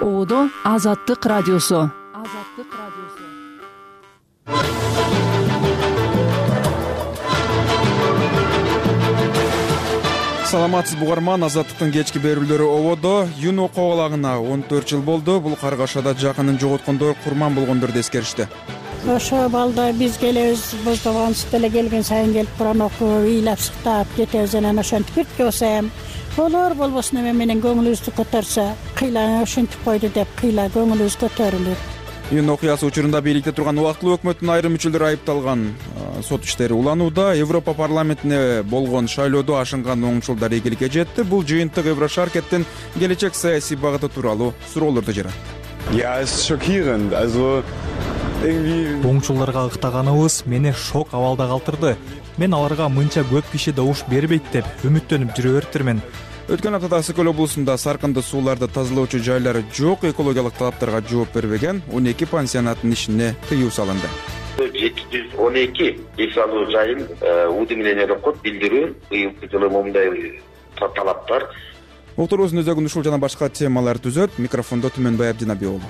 Оодо Азаттык радиосу. Саламатсыз бугарман, Азаттыктын кечки берүүлөрү ободо. Июнь окуу абалагына 14 жыл болду. Бул каргашада жакынын жоготкондор курман болгондорду эскеришти. Ошо балда биз келебиз, боздогонсуз деле келген сайын келип Куран окуп, ыйлап сыктап кетебиз. Анан ошентип бирге болсом болор, болбосун эме менен көңүлүбүздү көтөрсө, кыйла ошентип койду деп кыйла көңүлүбүз көтөрүлүр. Июнь окуясы учурунда бийликте турган убактылуу өкмөттүн айрым мүчөлөрү айыпталган. Сот иштери уланууда. Европа парламентине болгон шайлоодо ашынган оңчулдар ийгиликке жетти. Бул жыйынтык Еврошаркеттин келечек саясий багыты тууралуу суроолорду жаратты. Ja, es ist schockierend. Also Оңчулдарга ыктаганыбыз мени шок абалда калтырды. Мен аларга мынча көп киши добуш бербейт деп үмүттөнүп жүрө бериптирмин. Өткөн аптада Сыкөл облусунда саркынды сууларды тазалоочу жайлары жок, экологиялык талаптарга жооп бербеген 12 пансионаттын ишине тыюу салынды. 712 эс алуу жайын УД менен Эрокот билдирүү, быйылкы жылы момундай талаптар. Отурубуздун өзөгүн ушул жана башка темалар түзөт. Микрофондо Түмөнбай Абдинабий уулу.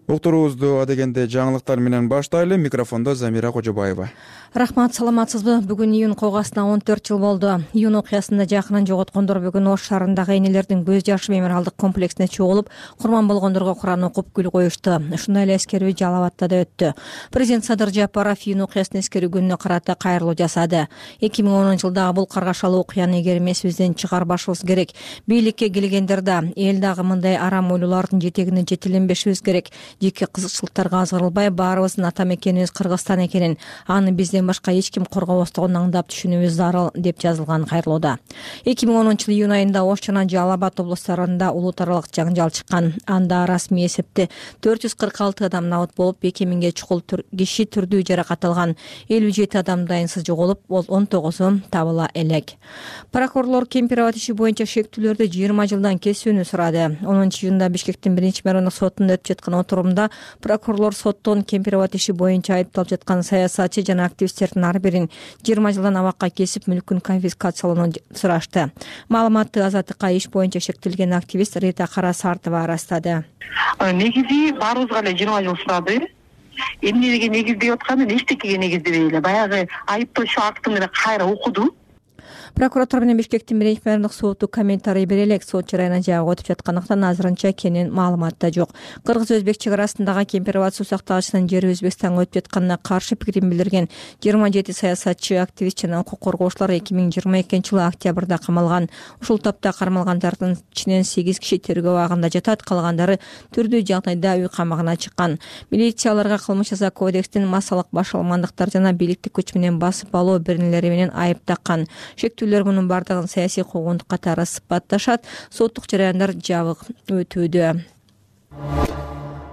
Уктурубузду адегенде жаңылыктар менен баштайлы. Микрофондо Замира Кожобаева. Рахмат, саламатсызбы? Бүгүн июнь окуясына 14 жыл болду. Июнь окуясында жакынын жоготкондор бүгүн Ош шаарындагы энелердин көз жашы мемориалдык комплексине чогулуп, курман болгондорго Куран окуп гүл коюшту. Ушундай эле эскерүү Жалал Абадта да өттү. Президент Садыр Жапаров июнь окуясын эскерүү күнүнө карата кайрылуу жасады. 2010-жылдагы бул каргашалуу окуяны эгер эмесибизден чыгарбашыбыз керек. Бийликке келгендер да эл дагы мындай арам ойлуулардын жетегине жетиленбешибиз керек. Жеке кызыкчылыктарга азгырылбай, баарыбыздын ата мекенибиз Кыргызстан экенин, аны бизден башка эч ким коргобостугун аңдап түшүнүүбүз зарыл деп жазылган кайрылууда. 2010-жылы июнь айында Ош жана Жалал Абад облустарында улуутаралык жаңжал чыккан. Анда расмий эсепте 446 адам набыт болуп, 2000ге чукул киши түрдүү жаракат алган. 57 адам дайынсыз жоголуп, ол 19-у табыла элек. Прокурорлор Кемпир Абад иши боюнча шектүүлөрдү 20 жылдан кесүүнү сурады. 10-июнда Бишкектин 1-мэриондук сотунда өтүп жаткан отурумда прокурорлор соттон Кемпир Абад иши боюнча айыпталып жаткан саясатчы жана активисттердин ар бирин 20 жылдан абакка кесип, мүлкүн конфискациялоону сурашты. Маалыматты Азаттыкка иш боюнча шектелген активист Рита Карасартова арастады. Негизи баарыбызга эле 20 жыл сурады. Эмнеге негиздеп атканын эчтекеге негиздебей эле баягы айыптоочу актын эле кайра окуду. Прокуратура менен Бишкектин 1-мэриондук соту комментарий бере элек, сот жараянын жабык өтүп жаткандыктан азырынча кенен маалымат да жок. Кыргыз-өзбек чек арасындагы Кемпир Абад суу сактагычынын жери Өзбекстанга өтүп жатканына каршы пикирин билдирген 27 саясатчы, активист жана укук коргоочулар 2022-жылы октябрда камалган. Ушул топто кармалгандардын ичинен 8 киши тергөө абагында жатат, калгандары түрдүү жагдайда үй камагына чыккан. Милиция аларга кылмыш жаза кодекстин массалык башаламандыктар жана бийликти күч менен басып алуу беренелери менен айып таккан. Шектүүлөр мунун бардыгын саясий куугунтук катары сыпатташат. Соттук жараяндар жабык өтүүдө.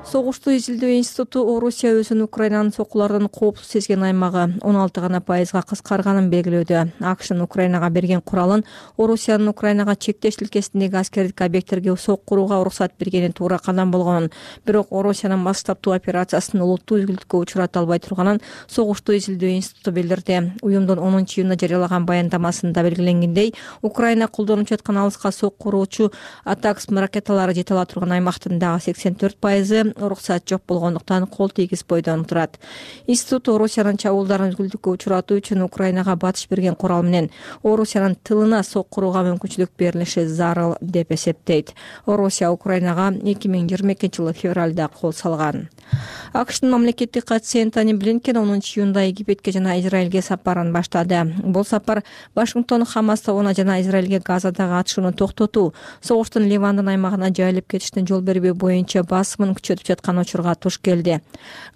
Согушту изилдөө институту Орусия өзүн Украинанын сокулардан коопсуз сезген аймагы 16% кыскарганын белгилөөдө. АКШнын Украинага берген куралын Орусиянын Украинага чектеш тилкесиндеги аскердик объекттерге сок курууга уруксат бергени туура кадам болгонун, бирок Орусиянын масштабдуу операциясын улуттуу үзгүлтүккө учурата албай турганын Согушту изилдөө институту билдирди. Уюмдун 10-июнда жарыялаган баяндамасында белгиленгендей, Украина колдонуп жаткан алыска сок куруучу Атакс ракеталары жете ала турган аймактын дагы 84% уруксат жок болгондуктан кол тийгиз бойдон турат. Институт Орусиянын чабуулдарын үзгүлтүккө учуратуу үчүн Украинага батыш берген курал менен Орусиянын тылына сок курууга мүмкүнчүлүк берилиши зарыл деп эсептейт. Орусия Украинага 2022-жылы февралда кол салган. АКШнын мамлекеттик катчысы Энтони Блинкен 10-июнда Египетке жана Израилге сапарын баштады. Бул сапар Вашингтон Хамас тобуна жана Израилге Газадагы атышууну токтотуу, согуштун Ливандын аймагына жайылып кетишине жол бербөө боюнча басымын күчөтүп жаткан учурга туш келди.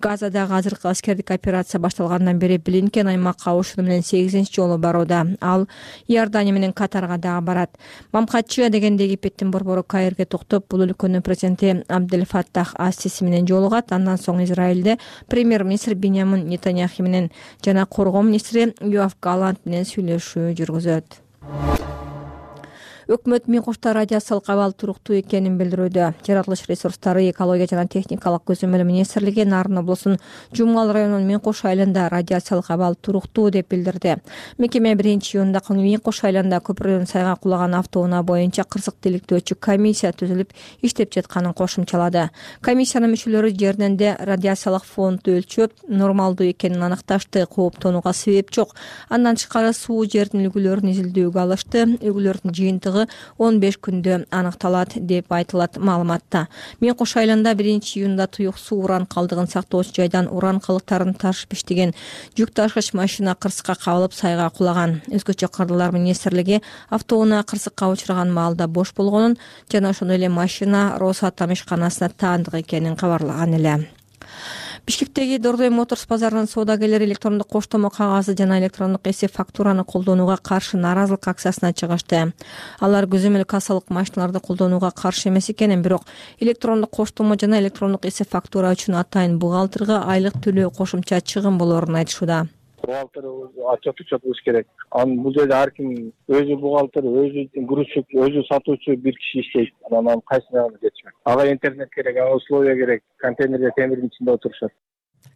Газадагы азыркы аскердик операция башталгандан бери Блинкен аймакка ушуну менен 8-нчи жолу барууда. Ал Иордания менен Катарга дагы барат. Мамкатчы дегенде Египеттин борбору Каирге токтоп, бул өлкөнүн президенти Абдель Фаттах ас-Сиси менен жолугат. Андан соң Израилде премьер-министр Биньямин Нетаньяху менен жана коргоо министри Йоав Галлант менен сүйлөшүү жүргүзөт. Өкмөт Миң Кошто радиациялык абал туруктуу экенин билдирүүдө. Жаратылыш ресурстары, экология жана техникалык көзөмөл министрлиги Нарын облусунун Жумгал районунун Миң Кош айылында радиациялык абал туруктуу деп билдирди. Мекеме 1-июнда Миң Кош айылында көпүрдөн сайга кулаган автоунаа боюнча кырсык тиликтөөчү комиссия түзүлүп иштеп жатканын кошумчалады. Комиссиянын мүчөлөрү жеринде радиациялык фонду өлчөп, нормалдуу экенин аныкташты, кооптонууга себеп жок. Андан тышкары суу жердин үлгүлөрүн изилдөөгө алышты. Үлгүлөрдүн жыйынтыгы 15 күндө аныкталат деп айтылат маалыматта. Миң Кош айылында 1-июнда туюк суу уран калдыгын сактоочу жайдан уран калдыктарын ташып иштеген жүк ташкыч машина кырсыкка кабылып сайга кулаган. Өзгөчө Кырдырлар министрлиги автоунаа кырсыкка учураган маалда бош болгонун жана ошондой эле машина Росатом ишканасына таандык экенин кабарлаган эле. Бишкектеги Дордой Моторс базарынын соодагерлери электрондук коштомо кагазы жана электрондук эсеп фактураны колдонууга каршы нааразылык акциясына чыгышты. Алар көзөмөл кассалык машиналарды колдонууга каршы эмес экенин, бирок электрондук коштомо жана электрондук эсеп фактура үчүн атайын бухгалтерга айлык төлөө кошумча чыгым болоорун айтышууда. Бухгалтер отчет болуш керек. Анын бул жерде ар ким өзү бухгалтер, өзү грузчик, өзү сатуучу бир киши иштейт. Анан кайсына жетишмек. Ага интернет керек, ага условия керек. Контейнерде темирдин ичинде отурушат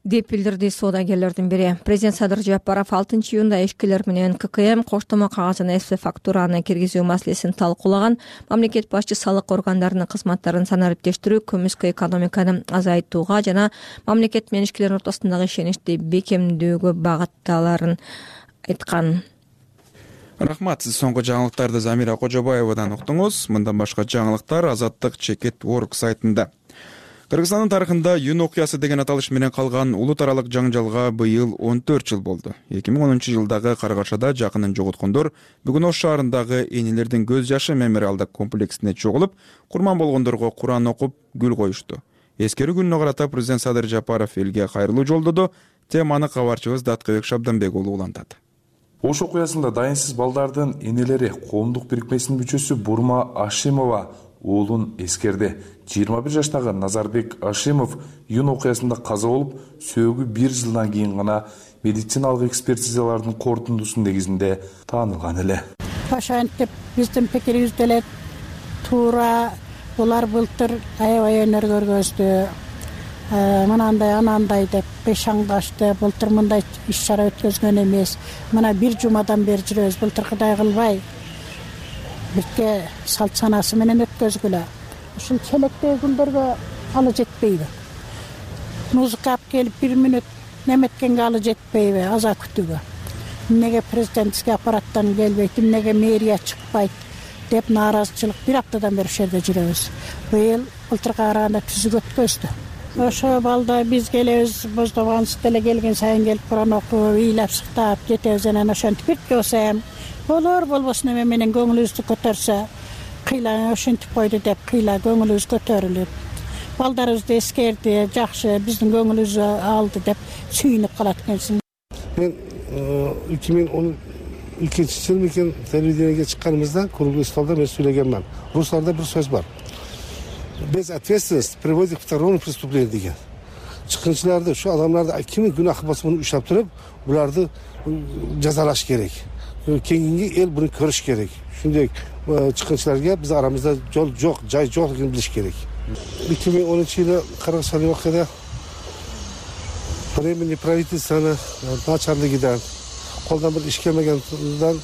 деп билдирди соодагерлердин бири. Президент Садыр Жапаров 6-июнда ишкерлер менен ККМ коштомо кагаз жана эсеп фактураны киргизүү маселесин талкуулаган. Мамлекет башчы салык органдарынын кызматтарын санариптештирүү, көмүскө экономиканы азайтууга жана мамлекет менен ишкерлердин ортосундагы ишеничти бекемдөөгө багытталарын айткан. Рахмат, сиз соңку жаңылыктарды Замира Кожобаевадан уктуңуз. Мындан башка жаңылыктар Азаттык.org сайтында. Кыргызстандын тарыхында Юн окуясы деген аталыш менен калган улут аралык жаңжалга быйыл 14 жыл болду. 2010-жылдагы каргашада жакынын жоготкондор бүгүн Ош шаарындагы энелердин көз жашы мемориалдык комплексине чогулуп, курман болгондорго Куран окуп, гүл коюшту. Эскерүү күнүнө карата президент Садыр Жапаров элге кайрылуу жолдоду. Теманы кабарчыбыз Даткыбек Шабданбек уулу улантат. Ош окуясында дайынсыз балдардын энелери коомдук бирикмесинин мүчөсү Бурма Ашимова уулун эскерди. 21 жаштагы Назарбек Ашимов Юн окуясында каза болуп, сөөгү 1 жылдан кийин гана медициналык экспертизалардын корутундусунун негизинде таанылган эле. Ошентип биздин пикирибизде эле туура булар былтыр аябай өнөр көргөздү. Мынандай анандай деп бешаңдашты. Былтыр мындай иш-чара өткөзгөн эмес. Мына 1 жумадан бери жүрөбүз. Былтыркыдай кылбай бирке салт санасы менен өткөзгүлө. Ушул челектеги күндөргө алы жетпейби? Музыка алып келип 1 мүнөт неметкенге алы жетпейби? Аза күтүүгө. Эмнеге президентский аппараттан келбейт, эмнеге мэрия чыкпайт деп нааразычылык 1 аптадан бери ошол жерде жүрөбүз. Быйыл былтырга караганда түзүк өткөздү. Ошо балда биз келебиз, боздогонсуз деле келген сайын келип Куран окуп, ыйлап сыктап кетебиз. Анан ошентип бирке болсо болор болбосун эме менен көңүлүбүздү көтөрсө, кыйла ошентип койду деп кыйла көңүлүбүз көтөрүлүп, балдарыбызды эскерди, жакшы биздин көңүлүбүздү алды деп сүйүнүп калат экенсиң. Мен 2012-жылы мекен телевидениеге чыкканыбызда круглый столдо мен сүйлөгөнмүн. Русларда бир сөз бар. Без ответственности приводит к второму преступлению деген. Чыккынчыларды, ушу адамдарды ким күнах болсо муну уштап туруп, буларды жазалаш керек. Кийинки эл буну көрүш керек. Ушундай чыккынчыларга биз арамызда жол жок, жай жок экенин билиш керек. 2010-жылы Карагашали окуяда временный правительствоны начарлыгыдан колдон бир иш келмегенден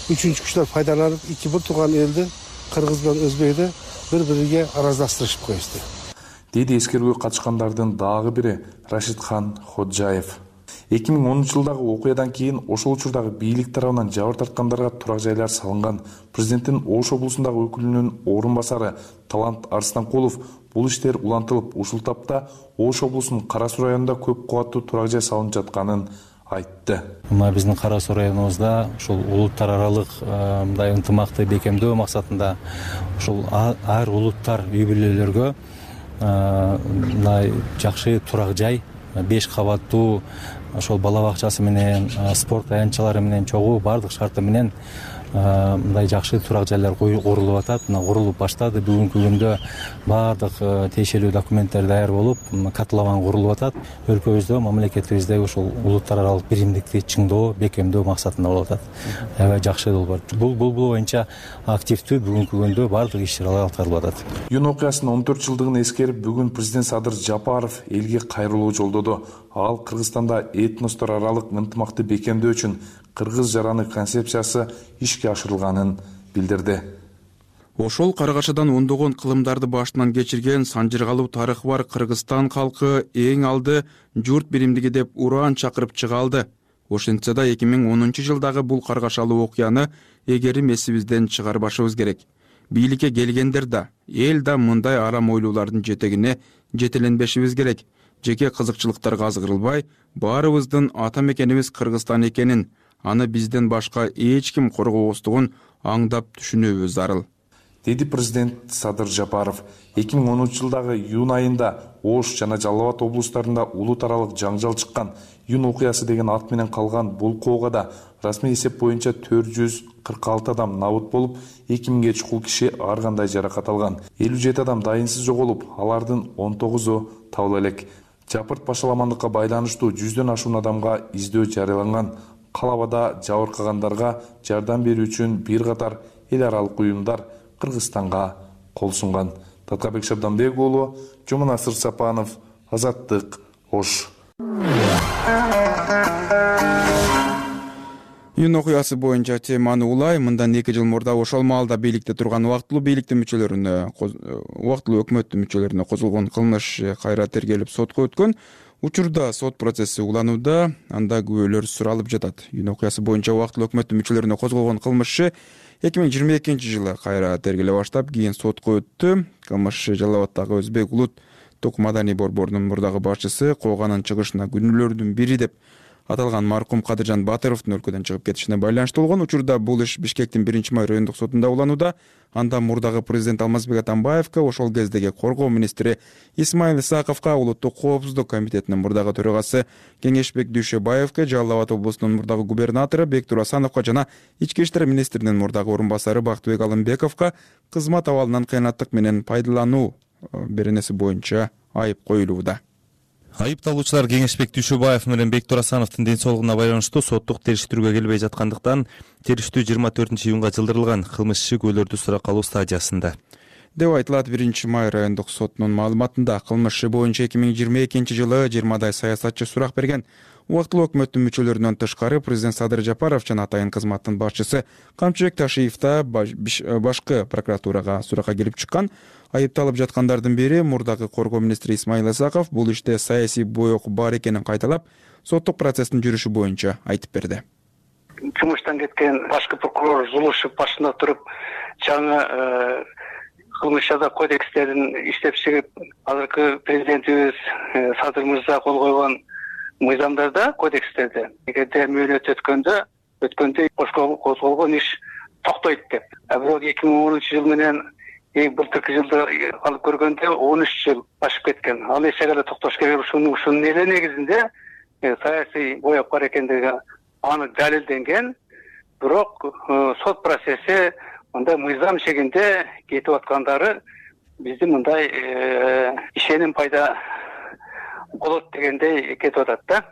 үчүнчү күчтөр пайдаланып, эки бир тууган элди, кыргыз менен өзбекти бири-бириге араздаштырышып коюшту. Деди эскерүүгө катышкандардын дагы бири Рашидхан Ходжаев. 2010-жылдагы окуядан кийин ошол учурдагы бийлик тарабынан жабыр тарткандарга турак жайлар салынган. Президенттин Ош облусундагы өкүлүнүн орун басары Талант Арстанкулов бул иштер улантылып, ушул тапта Ош облусунун Кара Суу районунда көп кубаттуу турак жай салынып жатканын айтты. Мына биздин Кара Суу районубузда ушул улуттар аралык мындай ынтымакты бекемдөө максатында ушул ар улуттар үй бүлөлөргө мындай жакшы турак жай 5 кабаттуу ошол бала бакчасы менен, спорт аянтчалары менен чогуу бардык шарты менен мындай жакшы турак жайлар курулуп атат. Мына курулуп баштады. Бүгүнкү күндө баардык тиешелүү документтер даяр болуп, котлован курулуп атат. Өлкөбүздө, мамлекетибизде ушул улуттар аралык биримдикти чыңдоо, бекемдөө максатында болуп атат. Аябай жакшы долбоор. Бул боюнча активдүү бүгүнкү күндө баардык иш-чаралар аткарылып атат. Июнь окуясынын 14 жылдыгын эскерип, бүгүн президент Садыр Жапаров элге кайрылуу жолдоду. Ал Кыргызстанда этностор аралык ынтымакты бекемдөө үчүн кыргыз жараны концепциясы ишке ашырылганын билдирди. Ошол Карагашадан ондогон кылымдарды башынан кечирген санжыргалуу тарыхы бар Кыргызстан калкы эң алды журт биримдиги деп ураан чакырып чыга алды. Ошентсе да 2010 жылдагы бул каргашалуу окуяны эгерим эсибизден чыгарбашыбыз керек. Бийликке келгендер да, эл да мындай арам ойлуулардын жетегине жетеленбешибиз керек. Жеке кызыкчылыктарга азгырылбай, баарыбыздын ата мекенибиз Кыргызстан экенин, аны бизден башка эч ким коргобостугун аңдап түшүнүүбүз зарыл, деди президент Садыр Жапаров. 2010 жылдагы июнь айында Ош жана Жалал Абад облустарында улут аралык жаңжал чыккан. Июнь окуясы деген ат менен калган бул коогада расмий эсеп боюнча 446 адам набыт болуп, 2000ге чукул киши ар кандай жаракат алган. 57 адам дайынсыз жоголуп, алардын 19у табыла элек. Жапырт башаламандыкка байланыштуу 100дөн ашуун адамга издөө жарыяланган. Калабада жабыркагандарга жардам берүү үчүн бир катар эл аралык уюмдар Кыргызстанга кол сунган. Таткабек Шабданбек уулу, Жомонасыр Сапанов, Азаттык, Ош. Июнь окуясы боюнча теманы улай, мындан 2 жыл мурда ошол маалда бийликте турган убактылуу бийликтин мүчөлөрүнө, убактылуу өкмөттүн мүчөлөрүнө козулгон кылмыш кайра тергелип сотко өткөн. Учурда сот процесси уланууда, анда күбөлөр суралып жатат. Июнь окуясы боюнча убактылуу өкмөттүн мүчөлөрүнө козголгон кылмыш 2022 жылы кайра тергеле баштап, кийин сотко өттү. Кылмыш Жалал Абаддагы Өзбек улут тук маданий борборунун мурдагы башчысы кооганын чыгышына күнөөлөрдүн бири деп аталган маркум Кадыржан Батыровдун өлкөдөн чыгып кетишине байланыштуу болгон. Учурда бул иш Бишкектин 1-май райондук сотунда уланууда. Анда мурдагы президент Алмазбек Атамбаевка, ошол кездеги коргоо министри Исмаил Исаковго, улуттук коопсуздук комитетинин мурдагы төрагасы Кеңешбек Дүйшөбаевке, Жалал Абад облусунун мурдагы губернатору Бектур Асановго жана ички иштер министринин мурдагы орун басары Бактыбек Алымбековго кызмат абалынан кыянаттык менен пайдалануу беренеси боюнча айып коюлууда. Айыпталуучулар Кеңешбек Дүйшөбаев менен Бектур Асановдун ден соолугуна байланыштуу соттук териштирүүгө келбей жаткандыктан териштирүү 24-июнга жылдырылган. Кылмыш иши күбөлөрдү суракка алуу стадиясында деп айтылат. 1-май райондук сотунун маалыматында кылмыш иши боюнча 2022 жылы 20 саясатчы сурак берген. Убактылуу өкмөттүн мүчөлөрүнөн тышкары президент Садыр Жапаров жана атайын кызматтын башчысы Камчыбек Ташиев да башкы прокуратурага суракка келип чыккан. Айыпталып жаткандардын бири мурдагы коргоо министри Исмаил Исаков бул иште саясий боек бар экенин кайталап, соттук процесстин жүрүшү боюнча айтып берди. Жумуштан кеткен башкы прокурор Зулушев башында туруп, жаңы кылмыш жаза кодекстерин иштеп чыгып, азыркы президентибиз Садыр мырза кол койгон мыйзамдарда, кодекстерде, эгерде мөөнөт өткөндө козголгон иш токтойт деп. Бирок 2010 жыл менен былтыркы жылды алып көргөндө 13 жыл ашып кеткен. Ал эч жагада токтош керек. Ушунун эле негизинде саясий боек бар экендиги анык далилденген. Бирок сот процесси мындай мыйзам шегинде кетип аткандары биздин мындай ишеним пайда болот дегендей кетип атат да,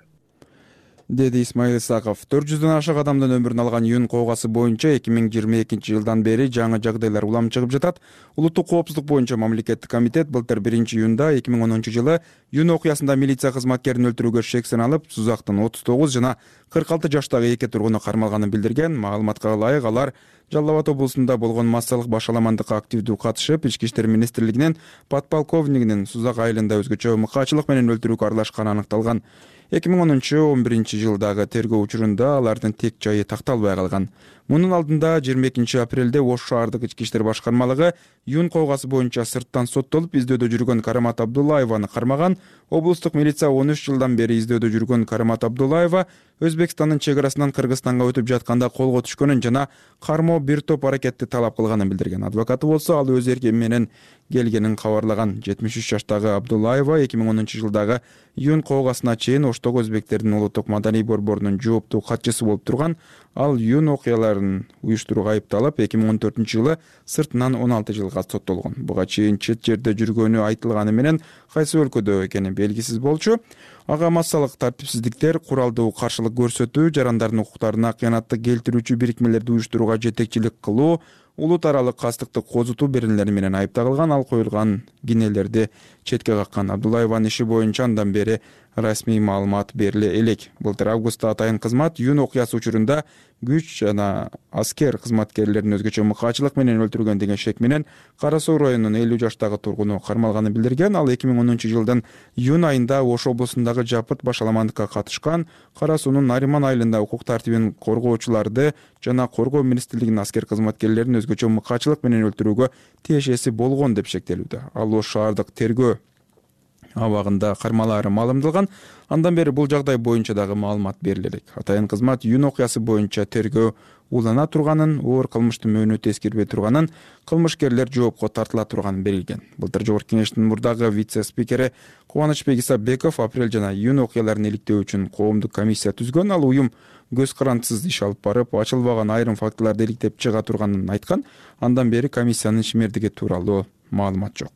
деди Исмаил Исаков. 400дөн ашык адамдын өмүрүн алган июнь коогасы боюнча 2022 жылдан бери жаңы жагдайлар улам чыгып жатат. Улуттук коопсуздук боюнча мамлекеттик комитет былтыр 1-июнда 2010 жылы июнь окуясында милиция кызматкерин өлтүрүүгө шек саналып, Сузактын 39 жана 46 жаштагы 2 тургуну кармалганын билдирген. Маалыматка ылайык, алар Жалал Абад облусунда болгон массалык башаламандыкка активдүү катышып, ички иштер министрлигинин подполковнигинин Сузак айылында өзгөчө мыкаачылык менен өлтүрүүгө аралашканы аныкталган. 2010-11 жылдагы тергөө учурунда алардын тек жайы такталбай калган. Мунун алдында 22 апрелде Ош шаардык ички иштер башкармалыгы июнь коогасы боюнча сырттан соттолуп издөөдө жүргөн Карамат Абдуллаеваны кармаган. Облустук милиция 13 жылдан бери издөөдө жүргөн Карамат Абдуллаева Өзбекстандын чек арасынан Кыргызстанга өтүп жатканда колго түшкөнүн жана кармоо бир топ аракетти талап кылганын билдирген. Адвокаты болсо ал өз эрки менен келгенин кабарлаган. 73 жаштагы Абдуллаева 2010 жылдагы июнь коогасына чейин Оштогу өзбектердин улуттук маданий борборунун жооптуу катчысы болуп турган. Ал июнь окуяларын уюштурууга айыпталып 2014 жылы сыртынан 16 жылга соттолгон. Буга чейин чет жерде жүргөнү айтылганы менен кайсы өлкөдө экени белгисиз болчу. Ага массалык тартипсиздиктер, куралдуу каршылык көрсөтүү, жарандардын укуктарына кыянатты келтирүүчү бирикмелерди уюштурууга жетекчилик кылуу, улут аралык кастыкты козутуу беренелери менен айыпталган. Ал коюлган кинелерди четке каккан. Абдуллаеванын иши боюнча андан бери расмий маалымат бериле элек. Былтыр августта атайын кызмат июнь окуясы учурунда күч жана аскер кызматкерлерин өзгөчө мыкаачылык менен өлтүргөн деген шек менен Кара Суу районунун 50 жаштагы тургуну кармалганын билдирген. Ал 2010 жылдын июнь айында Ош облусундагы жапырт башаламандыкка катышкан. Кара Суунун Нариман айылында укук тартибин коргоочуларды жана коргоо министрлигинин аскер кызматкерлерин өзгөчө мыкаачылык менен өлтүрүүгө тиешеси болгон деп шектелүүдө. Ал Ош шаардык тергөө абагында кармалаары маалымдалган. Андан бери бул жагдай боюнча дагы маалымат бериле элек. Атайын кызмат июнь окуясы боюнча тергөө улана турганын, оор кылмыштын мөөнөтү эскербей турганын, кылмышкерлер жоопко тартыла турганын белгилеген. Былтыр Жогорку Кеңештин мурдагы вице-спикери Кубанычбек Исабеков апрель жана июнь окуяларын иликтөө үчүн коомдук комиссия түзгөн. Ал уюм көз карандысыз иш алып барып, ачылбаган айрым фактыларды иликтеп чыга турганын айткан. Андан бери комиссиянын ишмердиги тууралуу маалымат жок.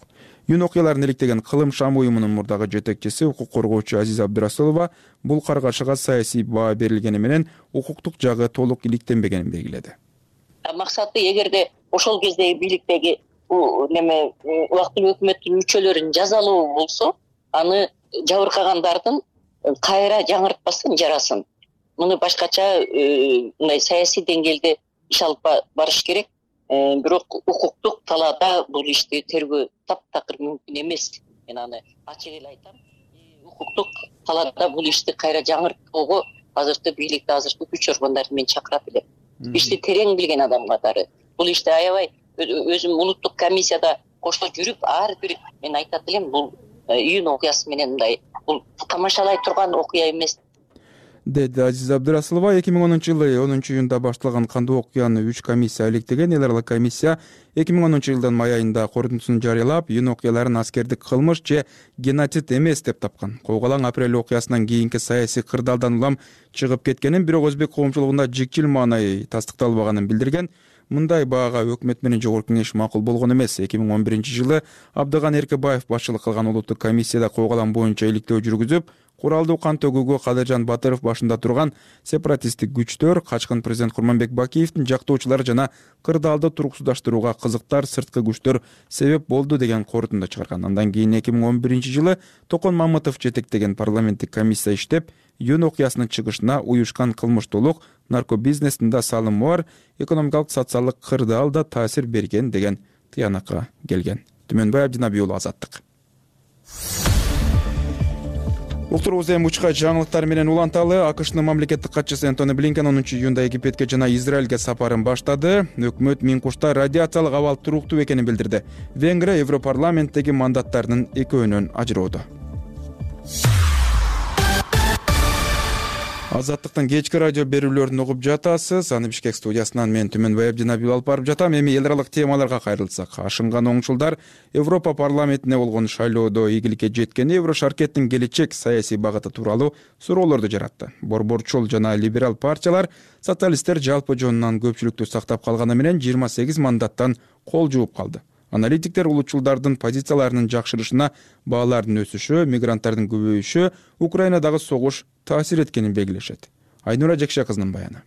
Июнь окуяларын иликтеген Кылым Шам уюмунун мурдагы жетекчиси укук коргоочу Азиза Абдырасулова бул каргашыга саясий баа берилгени менен укуктук жагы толук иликтенбегенин белгиледи. Максаты эгерде ошол кездеги бийликтеги убактылуу өкмөттүн мүчөлөрүн жазалоо болсо, аны жабыркагандардын кайра жаңыртпасын, жарасын. Муну башкача мындай саясий деңгээлде иш алып барыш керек. Бирок укуктук талаада бул ишти тергөө таптакыр мүмкүн эмес. Мен аны ачык эле айтам. Укуктук талаада бул ишти кайра жаңыртууга азыркы бийликти, азыркы күч органдарды мен чакырат элем. Ишти терең билген адам катары. Бул ишти аябай өзүм улуттук комиссияда кошо жүрүп, ар бир мен айтат элем, бул июнь окуясы менен мындай бул тамашалай турган окуя эмес. Деди Азиза Абдырасулова. 2010 жылы 10 июнда башталган кандуу окуяны 3 комиссия иликтеген. Эл аралык комиссия 2010 жылдын май айында корутундусун жарыялап, июнь окуяларын аскердик кылмыш же геноцид эмес деп тапкан. Койгулаң апрель окуясынан кийинки саясий кырдаалдан улам чыгып кеткенин, бирок өзбек коомчулугунда жикчил маанай тастыкталбаганын билдирген. Мындай баага өкмөт менен Жогорку Кеңеш макул болгон эмес. 2011 жылы Абдыган Эркебаев башчылык кылган улуттук комиссияда койгулаң боюнча иликтөө жүргүзүп, куралдуу кан төгүүгө Кадыржан Батыров башында турган сепаратисттик күчтөр, качкын президент Курманбек Бакиевдин жактоочулары жана кырдаалды туруксуздаштырууга кызыктар сырткы күчтөр себеп болду деген корутунду чыгарган. Андан кийин 2011 жылы Токон Мамытов жетектеген парламенттик комиссия иштеп, июнь окуясынын чыгышына уюшкан кылмыштуулук, наркобизнестин да салымы бар, экономикалык социалдык кырдаал да таасир берген деген тыянакка келген. Түмөнбай Абдинабий уулу, Азаттык. Уктурубуз эми учка жаңылыктар менен уланталы. АКШнын мамлекеттик катчысы Антони Блинкен 10 июнда Египетке жана Израилге сапарын баштады. Өкмөт Минкушта радиациялык абал туруктуу экенин билдирди. Венгрия Европарламенттеги мандаттарынын экөөнөн ажыроодо. Азаттыктын кечки радио берүүлөрүн угуп жатасыз. Аны Бишкек студиясынан мен Түмөнбай Абдинабий алып барып жатам. Эми эл аралык темаларга кайрылсак, ашынган оңчулдар Европа парламентине болгон шайлоодо ийгиликке жеткени Еврошаркеттин келечек саясий багыты тууралуу суроолорду жаратты. Борборчул жана либерал партиялар, социалисттер жалпы жонунан көпчүлүктү сактап калганы менен 28 мандаттан кол жууп калды. Аналитиктер улутчулдардын позицияларынын жакшырышына баалардын өсүшү, мигранттардын көбөйүшү, Украинадагы согуш таасир эткенин белгилешет. Айнура Жекше кызынын баяны.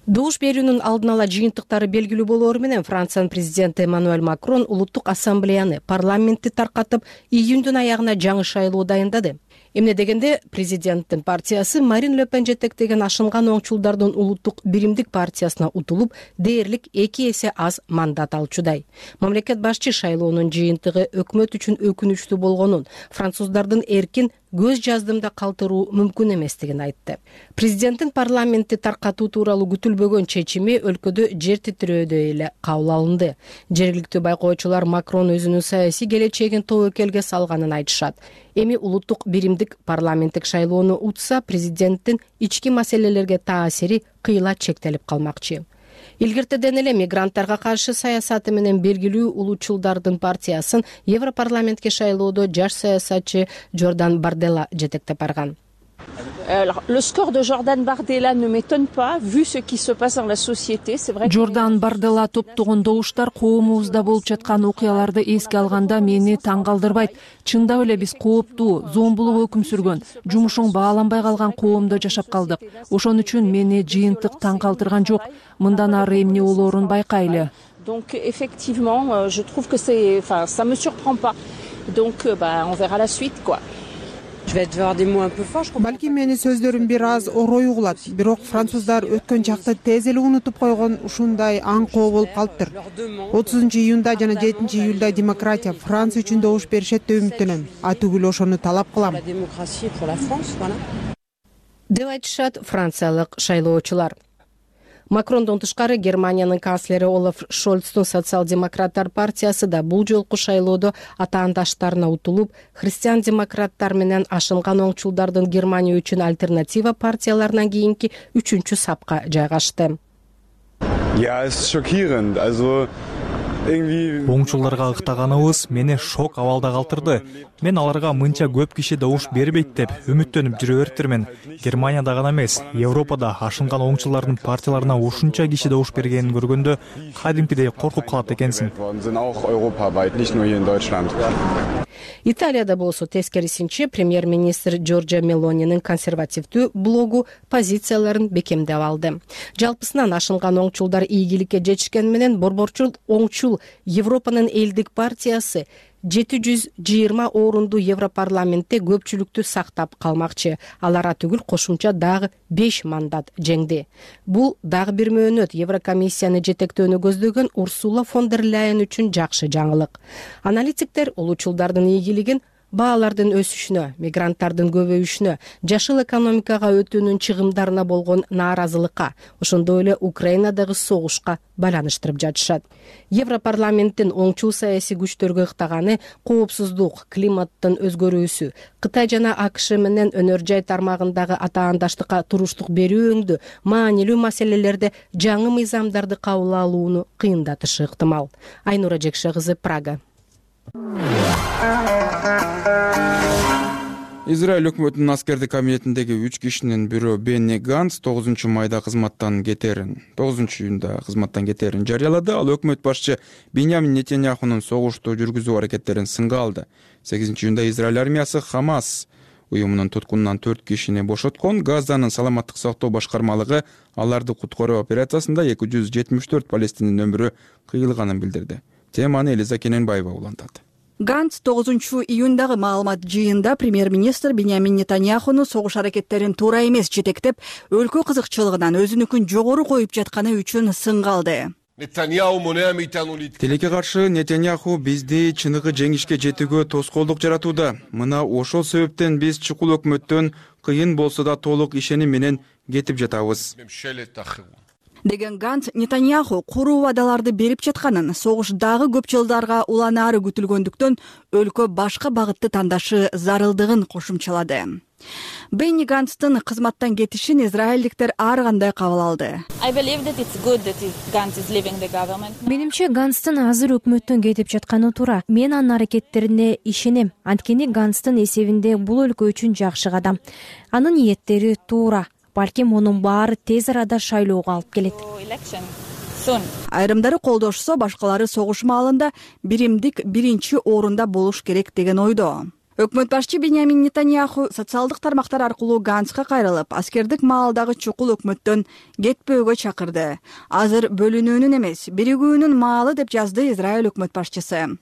Добуш берүүнүн алдын ала жыйынтыктары белгилүү болоору менен Франциянын президенти Эммануэль Макрон улуттук ассамблеяны, парламентти таркатып, июндун аягына жаңы шайлоо дайындады. Эмне дегенде президенттин партиясы Марин Ле Пен жетектеген ашынган оңчулдардын улуттук биримдик партиясына утулуп, дээрлик 2 эсе аз мандат алчудай. Мамлекет башчы шайлоонун жыйынтыгы өкмөт үчүн өкүнүчтүү болгонун, француздардын эркин көз жаздымда калтыруу мүмкүн эместигин айтты. Президенттин парламентти таркатуу тууралуу күтүлбөгөн чечими өлкөдө жер титирөөдө эле кабыл алынды. Жергиликтүү байкоочулар Макрон өзүнүн саясий келечегин тобокелге салганын айтышат. Эми улуттук биримдик парламенттик шайлоону утса, президенттин ички маселелерге таасири кыйла чектелип калмакчы. Илгертеден эле мигранттарга каршы саясаты менен белгилүү улуучулдардын партиясын Европарламентке шайлоодо жаш саясатчы Жордан Бардела жетектеп барган. Le score de Jordan Bardella ne m'étonne pas, vu ce qui se passe dans la société. C'est vrai. Жордан Бардела топтогон добуштар коомубузда болуп жаткан окуяларды эске алганда мени таң калтырбайт. Чындап эле биз кооптуу, зомбулук өкүм сүргөн, жумушуң бааланбай калган коомдо жашап калдык. Ошон үчүн мени жыйынтык таң калтырган жок. Мындан ары эмне болоорун байкайлы. Donc effectivement, je trouve que ça me surprend pas. Donc on verra la suite quoi. Балки мени сөздөрүм бир аз орой угулат, бирок француздар өткөн чакты тез эле унутуп койгон ушундай аңкоо болуп калыптыр. 30-июнда жана 7-июлда демократия Франция үчүн добуш беришет деп үмүттөнөм. Түгүл ошону талап кылам. Деп айтышат франциялык шайлоочулар. Макрондон тышкары Германиянын канцлери Олаф Шольцтун социал-демократтар партиясы да бул жолку шайлоодо атаандаштарына утулуп, христиан-демократтар менен ашынган оңчулдардын Германия үчүн альтернатива партияларынан кийинки 3-чү сапка жайгашты. Ja, es ist schockierend. Also Оңчулдарга ыктаганыбыз мени шок абалда калтырды. Мен аларга мынча көп киши добуш бербейт деп үмүттөнүп жүрө бериптирмин. Германияда гана эмес, Европада ашынган оңчулардын партияларына ушунча киши добуш бергенин көргөндө кадимкидей коркуп калат экенсиң. Италияда болсо тескерисинче премьер-министр Джорджа Мелонинин консервативдүү блогу позицияларын бекемдеп алды. Жалпысынан ашынган оңчулдар ийгиликке жетишкен менен борборчул оңчул Европанын элдик партиясы 720 орунду Европарламентте көпчүлүктү сактап калмакчы. Алар түгүл кошумча дагы 5 мандат жеңди. Бул дагы бир мөөнөт Еврокомиссияны жетектөөнү көздөгөн Урсула фон дер Ляйен үчүн жакшы жаңылык. Аналитиктер улуучулдардын ийгилигин баалардын өсүшүнө, мигранттардын көбөйүшүнө, жашыл экономикага өтүүнүн чыгымдарына болгон нааразылыкка, ошондой эле Украинадагы согушка байланыштырып жатышат. Европарламенттин оңчул саясий күчтөргө ыктаганы коопсуздук, климаттын өзгөрүүсү, Кытай жана АКШ менен өнөр жай тармагындагы атаандаштыкка туруштук берүү өңдү маанилүү маселелерде жаңы мыйзамдарды кабыл алууну кыйындатышы ыктымал. Айнура Жекше кызы, Прага. Израиль өкмөтүнүн аскердик кабинетиндеги 3 кишинин бирөө Бенни Ганц 9-майда кызматтан кетерин, 9-июнда кызматтан кетерин жарыялады. Ал өкмөт башчы Биньямин Нетаньяхунун согушту жүргүзүү аракеттерин сынга алды. 8-июнда Израиль армиясы Хамас уюмунун туткунунан 4 кишини бошоткон. Газанын саламаттык сактоо башкармалыгы аларды куткаруу операциясында 274 палестиндин өмүрү кыйылганын билдирди. Теманы Элиза Кененбаева улантат. Ганц 9-июндагы маалымат жыйында премьер-министр Биньямин Нетаньяхуну согуш аракеттерин туура эмес жетектеп, өлкө кызыкчылыгынан өзүнүкүн жогору коюп жатканы үчүн сынга алды. Тилекке каршы Нетаньяху бизди чыныгы жеңишке жетүүгө тоскоолдук жаратууда. Мына ошол себептен биз чукул өкмөттөн кыйын болсо да толук ишеним менен кетип жатабыз деген Ганц Нетаньяху куруу убадаларды берип жатканын, согуш дагы көп жылдарга уланаары күтүлгөндүктөн өлкө башка багытты тандашы зарылдыгын кошумчалады. Бенни Ганцтын кызматтан кетишин израилдиктер ар кандай кабыл алды. Менимче Ганцтын азыр өкмөттөн кетип жатканы туура. Мен анын аракеттерине ишенем. Анткени Ганцтын эсебинде бул өлкө үчүн жакшы кадам. Анын ниеттери туура. Балким мунун баары тез арада шайлоого алып келет. Айрымдары колдошсо, башкалары согуш маалында биримдик биринчи орунда болуш керек деген ойдо. Өкмөт башчы Биньямин Нетаньяху социалдык тармактар аркылуу Ганцка кайрылып, аскердик маалдагы чукул өкмөттөн кетпөөгө чакырды. Азыр бөлүнүүнүн эмес, биригүүнүн маалы деп жазды Израиль өкмөт башчысы.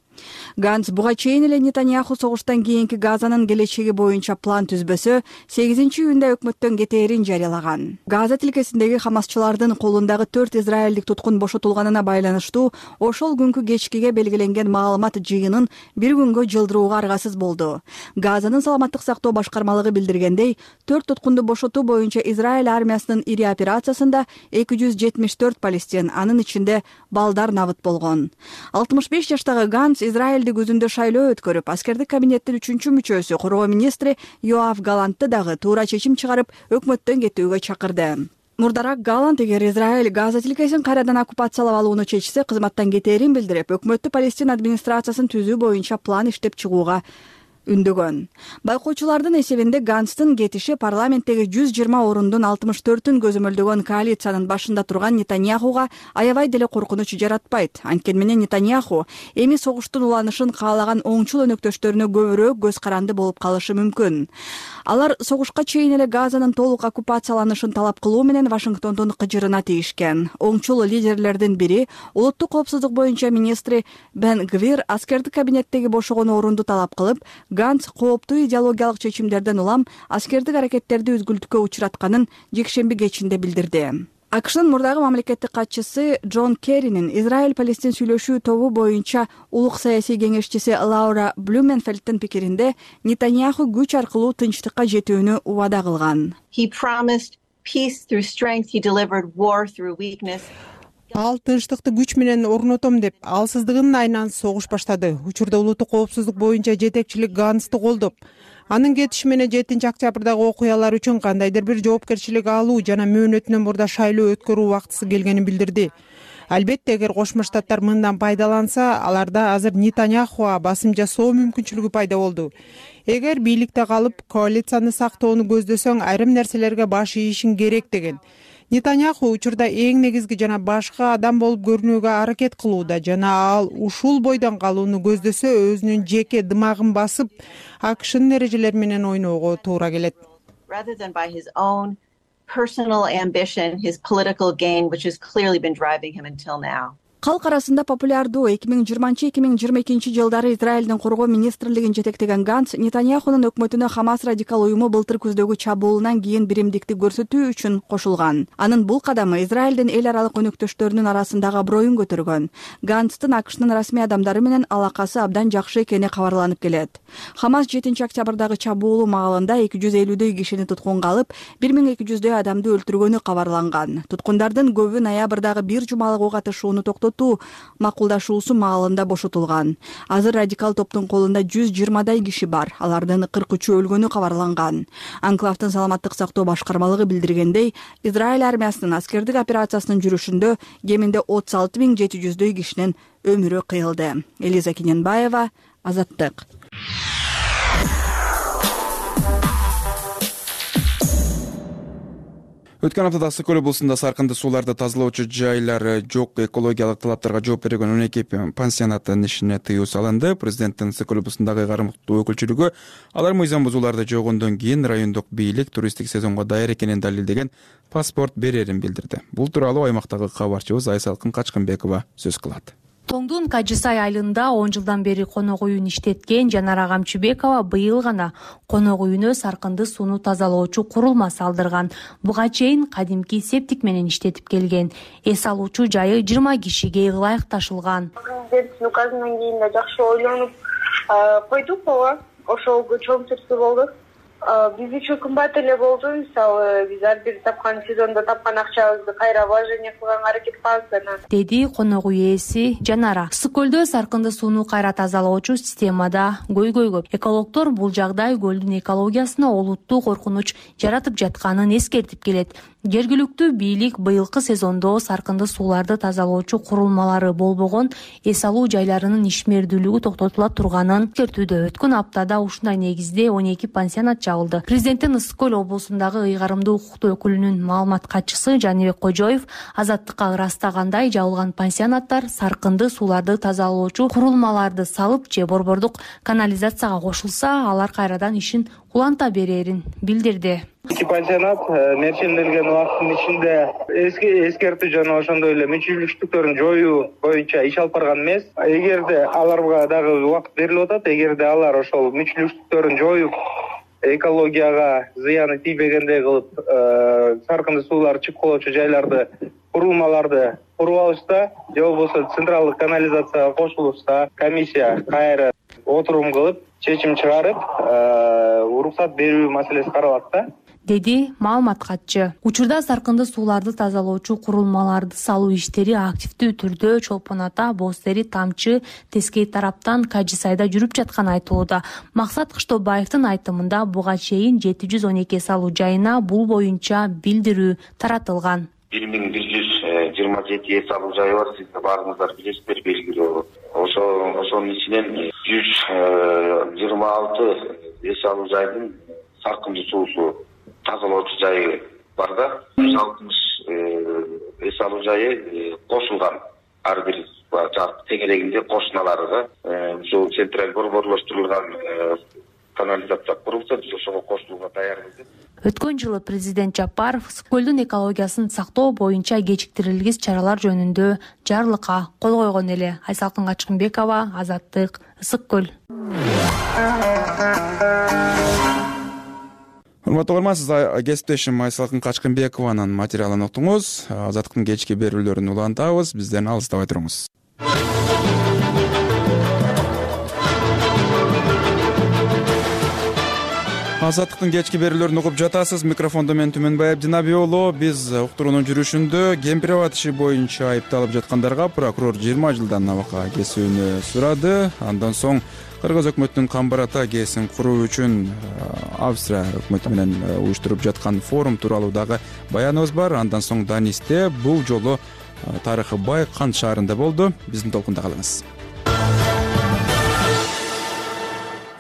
Ганц буга чейин эле Нетаньяху согуштан кийинки Газанын келечеги боюнча план түзбөсө 8-июнда өкмөттөн кетээрин жарыялаган. Газа тилкесиндеги хамасчылардын колундагы 4 израилдик туткун бошотулганына байланыштуу ошол күнкү кечкиге белгиленген маалымат жыйынын бир күнгө жылдырууга аргасыз болду. Газанын саламаттык сактоо башкармалыгы билдиргендей, 4 туткунду бошотуу боюнча Израиль армиясынын ири операциясында 274 палестин, анын ичинде балдар набыт болгон. 65 жаштагы Ганц Израилдик өзүндө шайлоо өткөрүп, аскердик кабинеттин 3-мүчөсү коргоо министри Йоав Галантты дагы туура чечим чыгарып, өкмөттөн кетүүгө чакырды. Мурдараак Галант эгер Израиль Газа тилкесин кайрадан оккупациялап алууну чечсе, кызматтан кетээрин билдирип, өкмөттү Палестина администрациясын түзүү боюнча план иштеп чыгууга үндөгөн. Байкоочулардын эсебинде Ганстын кетиши парламенттеги 120 орундун 64-ün көзөмөлдөгөн коалициянын башында турган Нетаньяхуга аябай деле коркунуч жаратпайт. Анткени менен Нетаньяху эми согуштун уланышын каалаган оңчул өнөктөштөрүнө көбүрөөк көз каранды болуп калышы мүмкүн. Алар согушка чейин эле Газанын толук оккупацияланышын талап кылуу менен Вашингтондун кыжырына тийишкен. Оңчул лидерлердин бири улуттук коопсуздук боюнча министри Бен Гвир аскердик кабинеттеги бошогон орунду талап кылып, Ганц кооптуу идеологиялык чечимдерден улам аскердик аракеттерди үзгүлтүккө учуратканын жекшемби кечинде билдирди. АКШнын мурдагы мамлекеттик катчысы Джон Керринин Израиль-Палестин сүйлөшүү тобу боюнча улук саясий кеңешчиси Лаура Блюменфельдтин пикиринде Нетаньяху күч аркылуу тынчтыкка жетүүнү убада кылган. Ал тынчтыкты күч менен орнотом деп, алсыздыгынын айынан согуш баштады. Учурда улуттук коопсуздук боюнча жетекчилик Ганцты колдоп, анын кетиши менен 7-октябрдагы окуялар үчүн кандайдыр бир жоопкерчилик алуу жана мөөнөтүнөн мурда шайлоо өткөрүү убактысы келгенин билдирди. Албетте, эгер Кошмо Штаттар мындан пайдаланса, аларда азыр Нетаньяхуга басым жасоо мүмкүнчүлүгү пайда болду. Эгер бийликте калып, коалицияны сактоону көздөсөң, айрым нерселерге баш ийишиң керек деген. Нетаньяху учурда эң негизги жана башка адам болуп көрүнүүгө аракет кылууда жана ал ушул бойдон калууну көздөсө өзүнүн жеке дымагын басып, АКШнын эрежелери менен ойноого туура келет. Калк арасында популярдуу 2020-2022 жылдары Израилдин коргоо министрлигин жетектеген Ганц Нетаньяхунун өкмөтүнө Хамас радикал уюму былтыр күздөгү чабуулунан кийин биримдикти көрсөтүү үчүн кошулган. Анын бул кадамы Израилдин эл аралык өнөктөштөрүнүн арасындагы аброюн көтөргөн. Ганцтын АКШнын расмий адамдары менен алакасы абдан жакшы экени кабарланып келет. Хамас 7-октябрдагы чабуулу маалында 250дөй кишини туткунга алып, 1200дөй адамды өлтүргөнү кабарланган. Туткундардын көбү ноябрдагы бир жумалык ок атышууну макулдашуусу маалында бошотулган. Азыр радикал топтун колунда 120дай киши бар. Алардын 43-ü өлгөнү кабарланган. Анклавдын саламаттык сактоо башкармалыгы билдиргендей, Израиль армиясынын аскердик операциясынын жүрүшүндө кеминде 36.700дөй кишинин өмүрү кыйылды. Элиза Киненбаева, Азаттык. Өткөн аптада Ысык көл облусунда саркынды сууларды тазалоочу жайлар жок, экологиялык талаптарга жооп берген 12 пансионаттын ишине тыюу салынды. Президенттин Ысык көл облусундагы кармыктуу өкүлчүлүгү алар мыйзам бузууларды жойгондон кийин райондук бийлик туристтик сезонго даяр экенин далилдеген паспорт берерин билдирди. Бул тууралуу аймактагы кабарчыбыз Айсалкын Качкынбекова сөз кылат. Тоңдун Кажысай айылында 10 жылдан бери конок үйүн иштеткен Жанара Камчыбекова быйыл гана конок үйүнө саркынды сууну тазалоочу курулма салдырган. Буга чейин кадимки септик менен иштетип келген. Эс алуучу жайы 20 кишиге ылайык ташылган. Президенттин указынан кийин да жакшы ойлонуп койдук, ошол чоң түртүү болду. Биз үчүн кымбат эле болду. Мисалы, биз ар бир тапкан сезондо тапкан акчабызды кайра вложение кылганга аракет кылабыз, деди конок үй ээси Жанара. Ысык көлдө саркынды сууну кайра тазалоочу системада көйгөй көп. Экологдор бул жагдай көлдүн экологиясына олуттуу коркунуч жаратып жатканын эскертип келет. Жергиликтүү бийлик быйылкы сезондо саркынды сууларды тазалоочу курулмалары болбогон эс алуу жайларынын ишмердүүлүгү токтотула турганын эскертүүдө. Өткөн аптада ушундай негизде 12 пансионат жабылды. Президенттин Ысык көл облусундагы ыйгарымдуу укуктуу өкүлүнүн маалымат катчысы Жаныбек Кожоев азаттыкка ырастагандай жабылган пансионаттар саркынды сууларды тазалоочу курулмаларды салып же борбордук канализацияга кошулса, алар кайрадан ишин уланта берерин билдирди. Эки пансионат мерченделген убакыттын ичинде эскертүү жана ошондой эле мүчүлүштүктөрүн жоюу боюнча иш алып барган эмес. Эгерде аларга дагы убакыт берилип атат, эгерде алар ошол мүчүлүштүктөрүн жоюп, экологияга зыяны тийбегендей кылып, саркынды суулар чыгып калуучу жайларды, курулмаларды куруп алышса, же болбосо централдык канализацияга кошулушса, комиссия кайра отурум кылып, чечим чыгарып, уруксат берүү маселеси каралат да, деди маалымат катчы. Учурда саркынды сууларды тазалоочу курулмаларды салуу иштери активдүү түрдө Чолпон Ата, Боз Тери, Тамчы, Тескей тараптан Кажы Сайда жүрүп жатканы айтылууда. Максат Кыштообаевдин айтымында буга чейин 712 салуу жайына бул боюнча билдирүү таратылган. 1127 салуу жайы бар, сиздер баарыңыздар билесиздер, белгилүү. Ошонун ичинен 126 салуу жайдын саркынды суусу тазалоочу жайы бар да, 160 салуу жайы кошулган. Ар бир тегерегинде кошуналарга ушул централь борборлоштурулган канализация курулса, биз ошого кошулууга даярбыз. Өткөн жылы президент Жапаров Ысык көлдүн экологиясын сактоо боюнча кечиктирилгис чаралар жөнүндө жарлыкка кол койгон эле. Айсалкын Качкынбекова, Азаттык, Ысык көл. Урматтуу угарман, сиз кесиптешим Айсалкын Качкынбекованын материалын уктуңуз. Азаттыктын кечки берүүлөрүн улантабыз, бизден алыстабай туруңуз. Азаттыктын кечки берүүлөрүн угуп жатасыз. Микрофондо мен Түмөнбай Абдинаби уулу. Биз уктуруунун жүрүшүндө кемпирабад иши боюнча айыпталып жаткандарга прокурор 20 жылдан абакка кесүүнү сурады. Андан соң Кыргыз өкмөтүнүн Камбар Ата КСин куруу үчүн Австрия өкмөтү менен уюштуруп жаткан форум тууралуу дагы баяныбыз бар. Андан соң Данисте бул жолу тарыхы бай Кант шаарында болду. Биздин толкунда калыңыз.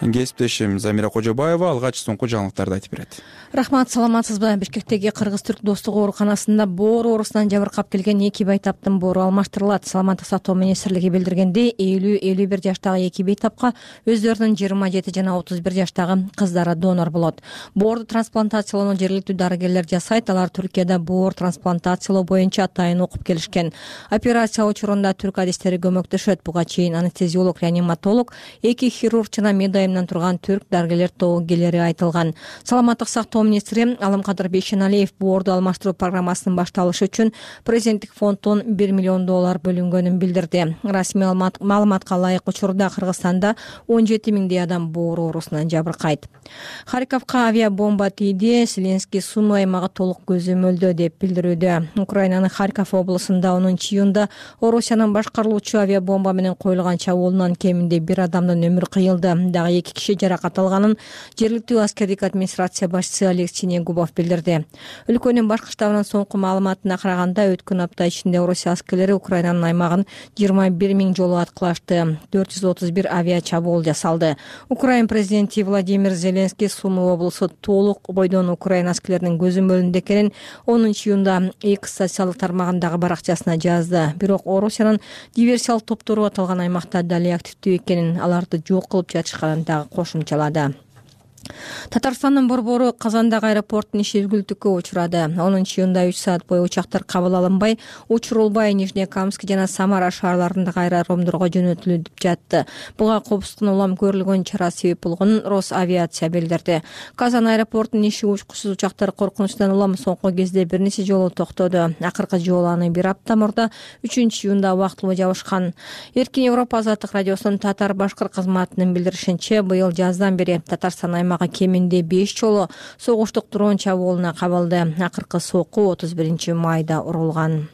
Кесиптешим Замира Кожобаева алгач соңку жаңылыктарды айтып берет. Рахмат, саламатсызбы? Бишкектеги Кыргыз-Түрк достук ооруканасында боор оорусунан жабыркап келген 2 бейтаптын боору алмаштырылат. Саламаттык сактоо министрлиги билдиргендей, 50-51 жаштагы 2 бейтапка өздөрүнүн 27 жана 31 жаштагы кыздары донор болот. Боорду трансплантациялоону жергиликтүү дарыгерлер жасайт. Алар Түркияда боор трансплантациялоо боюнча атайын окуп келишкен. Операция учурунда түрк адистери көмөктөшөт. Буга чейин анестезиолог, реаниматолог, 2 хирург жана медайымдан турган түрк дарыгерлер тобугелери айтылган. Саламаттык сактоо министри Алымкадыр Бейшеналиев боорду алмаштыруу программасынын башталышы үчүн президенттик фонддон $1 миллион бөлүнгөнүн билдирди. Расмий маалыматка ылайык учурда Кыргызстанда 17 миңдей адам боор оорусунан жабыркайт. Харьковко авиабомба тийди. Зеленский Сумы аймагы толук көзөмөлдө деп билдирүүдө. Украинанын Харьков облусунда 10-июнда Орусиянын башкарылуучу авиабомба менен коюлган чабуулунан кеминде 1 адамдын өмүрү кыйылды. Дагы 2 киши жаракат алганын жергиликтүү аскердик администрация башчысы Алексей Негубов билдирди. Өлкөнүн башкы штабынын соңку маалыматына караганда, өткөн апта ичинде Орусия аскерлери Украинанын аймагын 21 миң жолу аткылашты. 431 авиа чабуул жасалды. Украин президенти Владимир Зеленский Сумы облусу толук бойдон Украина аскерлеринин көзөмөлүндө экенин 10-июнда X социалдык тармагындагы баракчасына жазды. Бирок Орусиянын диверсиялык топтору аталган аймакта дали активдүү экенин, аларды жок кылып жатышканын дагы кошумчалады. Татарстандын борбору Казандагы аэропорттун иши үзгүлтүккө учурады. 10-июнда 3 саат бою учактар кабыл алынбай, учурулбай Нижнекамск жана Самара шаарларындагы аэродромдорго жөнөтүлүп жатты. Буга копустун улам көрүлгөн чара себеп болгонун Росавиация билдирди. Казан аэропортунун иши учкусуз учактар коркунучтан улам соңку кезде бир нече жолу токтоду. Акыркы жолу аны 1 апта мурда 3-июнда убактылуу жабышкан. Эркин Европа азаттык радиосунун татар-башкыр кызматынын билдиришинче, быйыл жаздан бери Татарстан аймагы кеминде 5 жолу согуштук дрон чабуулуна кабылды. Акыркы сокку 31 майда урулган.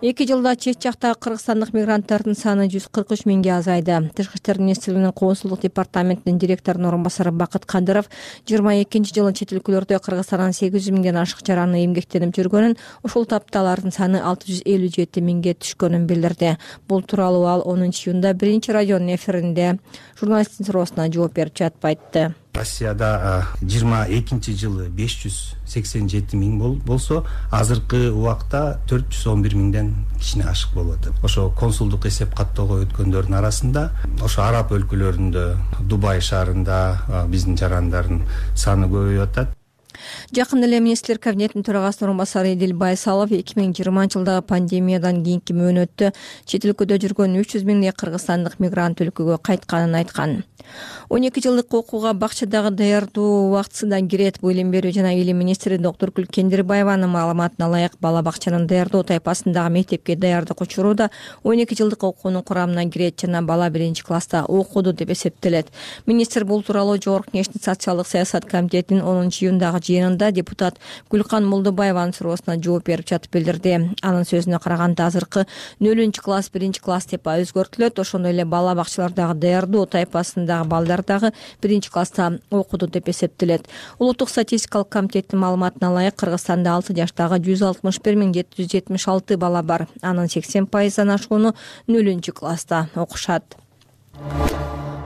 2 жылда чет жактагы кыргызстандык мигранттардын саны 143 миңге азайды. Тышкы иштер министрлигинин коонсулдук департаментинин директорунун орун басары Бакыт Кадыров 22 жылы чет өлкөлөрдө Кыргызстандан 800 миңден ашык жараны эмгектенип жүргөнүн, ушул тапта алардын саны 657 миңге түшкөнүн билдирди. Бул тууралуу ал 10-июнда 1-радионун эфиринде журналисттин суроосуна жооп берип жатып айтты. Россияда 22 жылы 587 миң болсо, азыркы убакта 411 миңден кичине ашык болуп атат. Ошо консулдук эсеп каттоого өткөндөрдүн арасында ошо араб өлкөлөрүндө, Дубай шаарында биздин жарандардын саны көбөйүп атат. Жакында эле министрлер кабинетинин төрагасынын орун басары Эдил Байсалов 2020 жылдагы пандемиядан кийинки мөөнөттө чет өлкөдө жүргөн 300 миңдей кыргызстандык мигрант өлкөгө кайтканын айткан. 12 жылдык окууга бакчадагы даярдоо убактысынан кирет. Бул илим берүү жана илим министри Доктуркүл Кендирбаеванын маалыматына ылайык бала бакчанын даярдоо тайпасындагы мектепке даярдык учуруда 12 жылдык окуунун курамына кирет жана бала 1-класста окуду деп эсептелет. Министр бул тууралуу Жогорку Кеңештин социалдык саясат комитетинин 10-июндагы жыйынында депутат Гүлкан Молдобаеванын суроосуна жооп берип жатып билдирди. Анын сөзүнө караганда азыркы 0-класс 1-класс деп өзгөртүлөт. Ошондой эле бала бакчалардагы даярдоо тайпасындагы балдар дагы 1-класста окуду деп эсептелет. Улуттук статистикалык комитеттин маалыматына ылайык Кыргызстанда 6 жаштагы 161.776 бала бар. Анын 80%дан ашууну 0-класста окушат.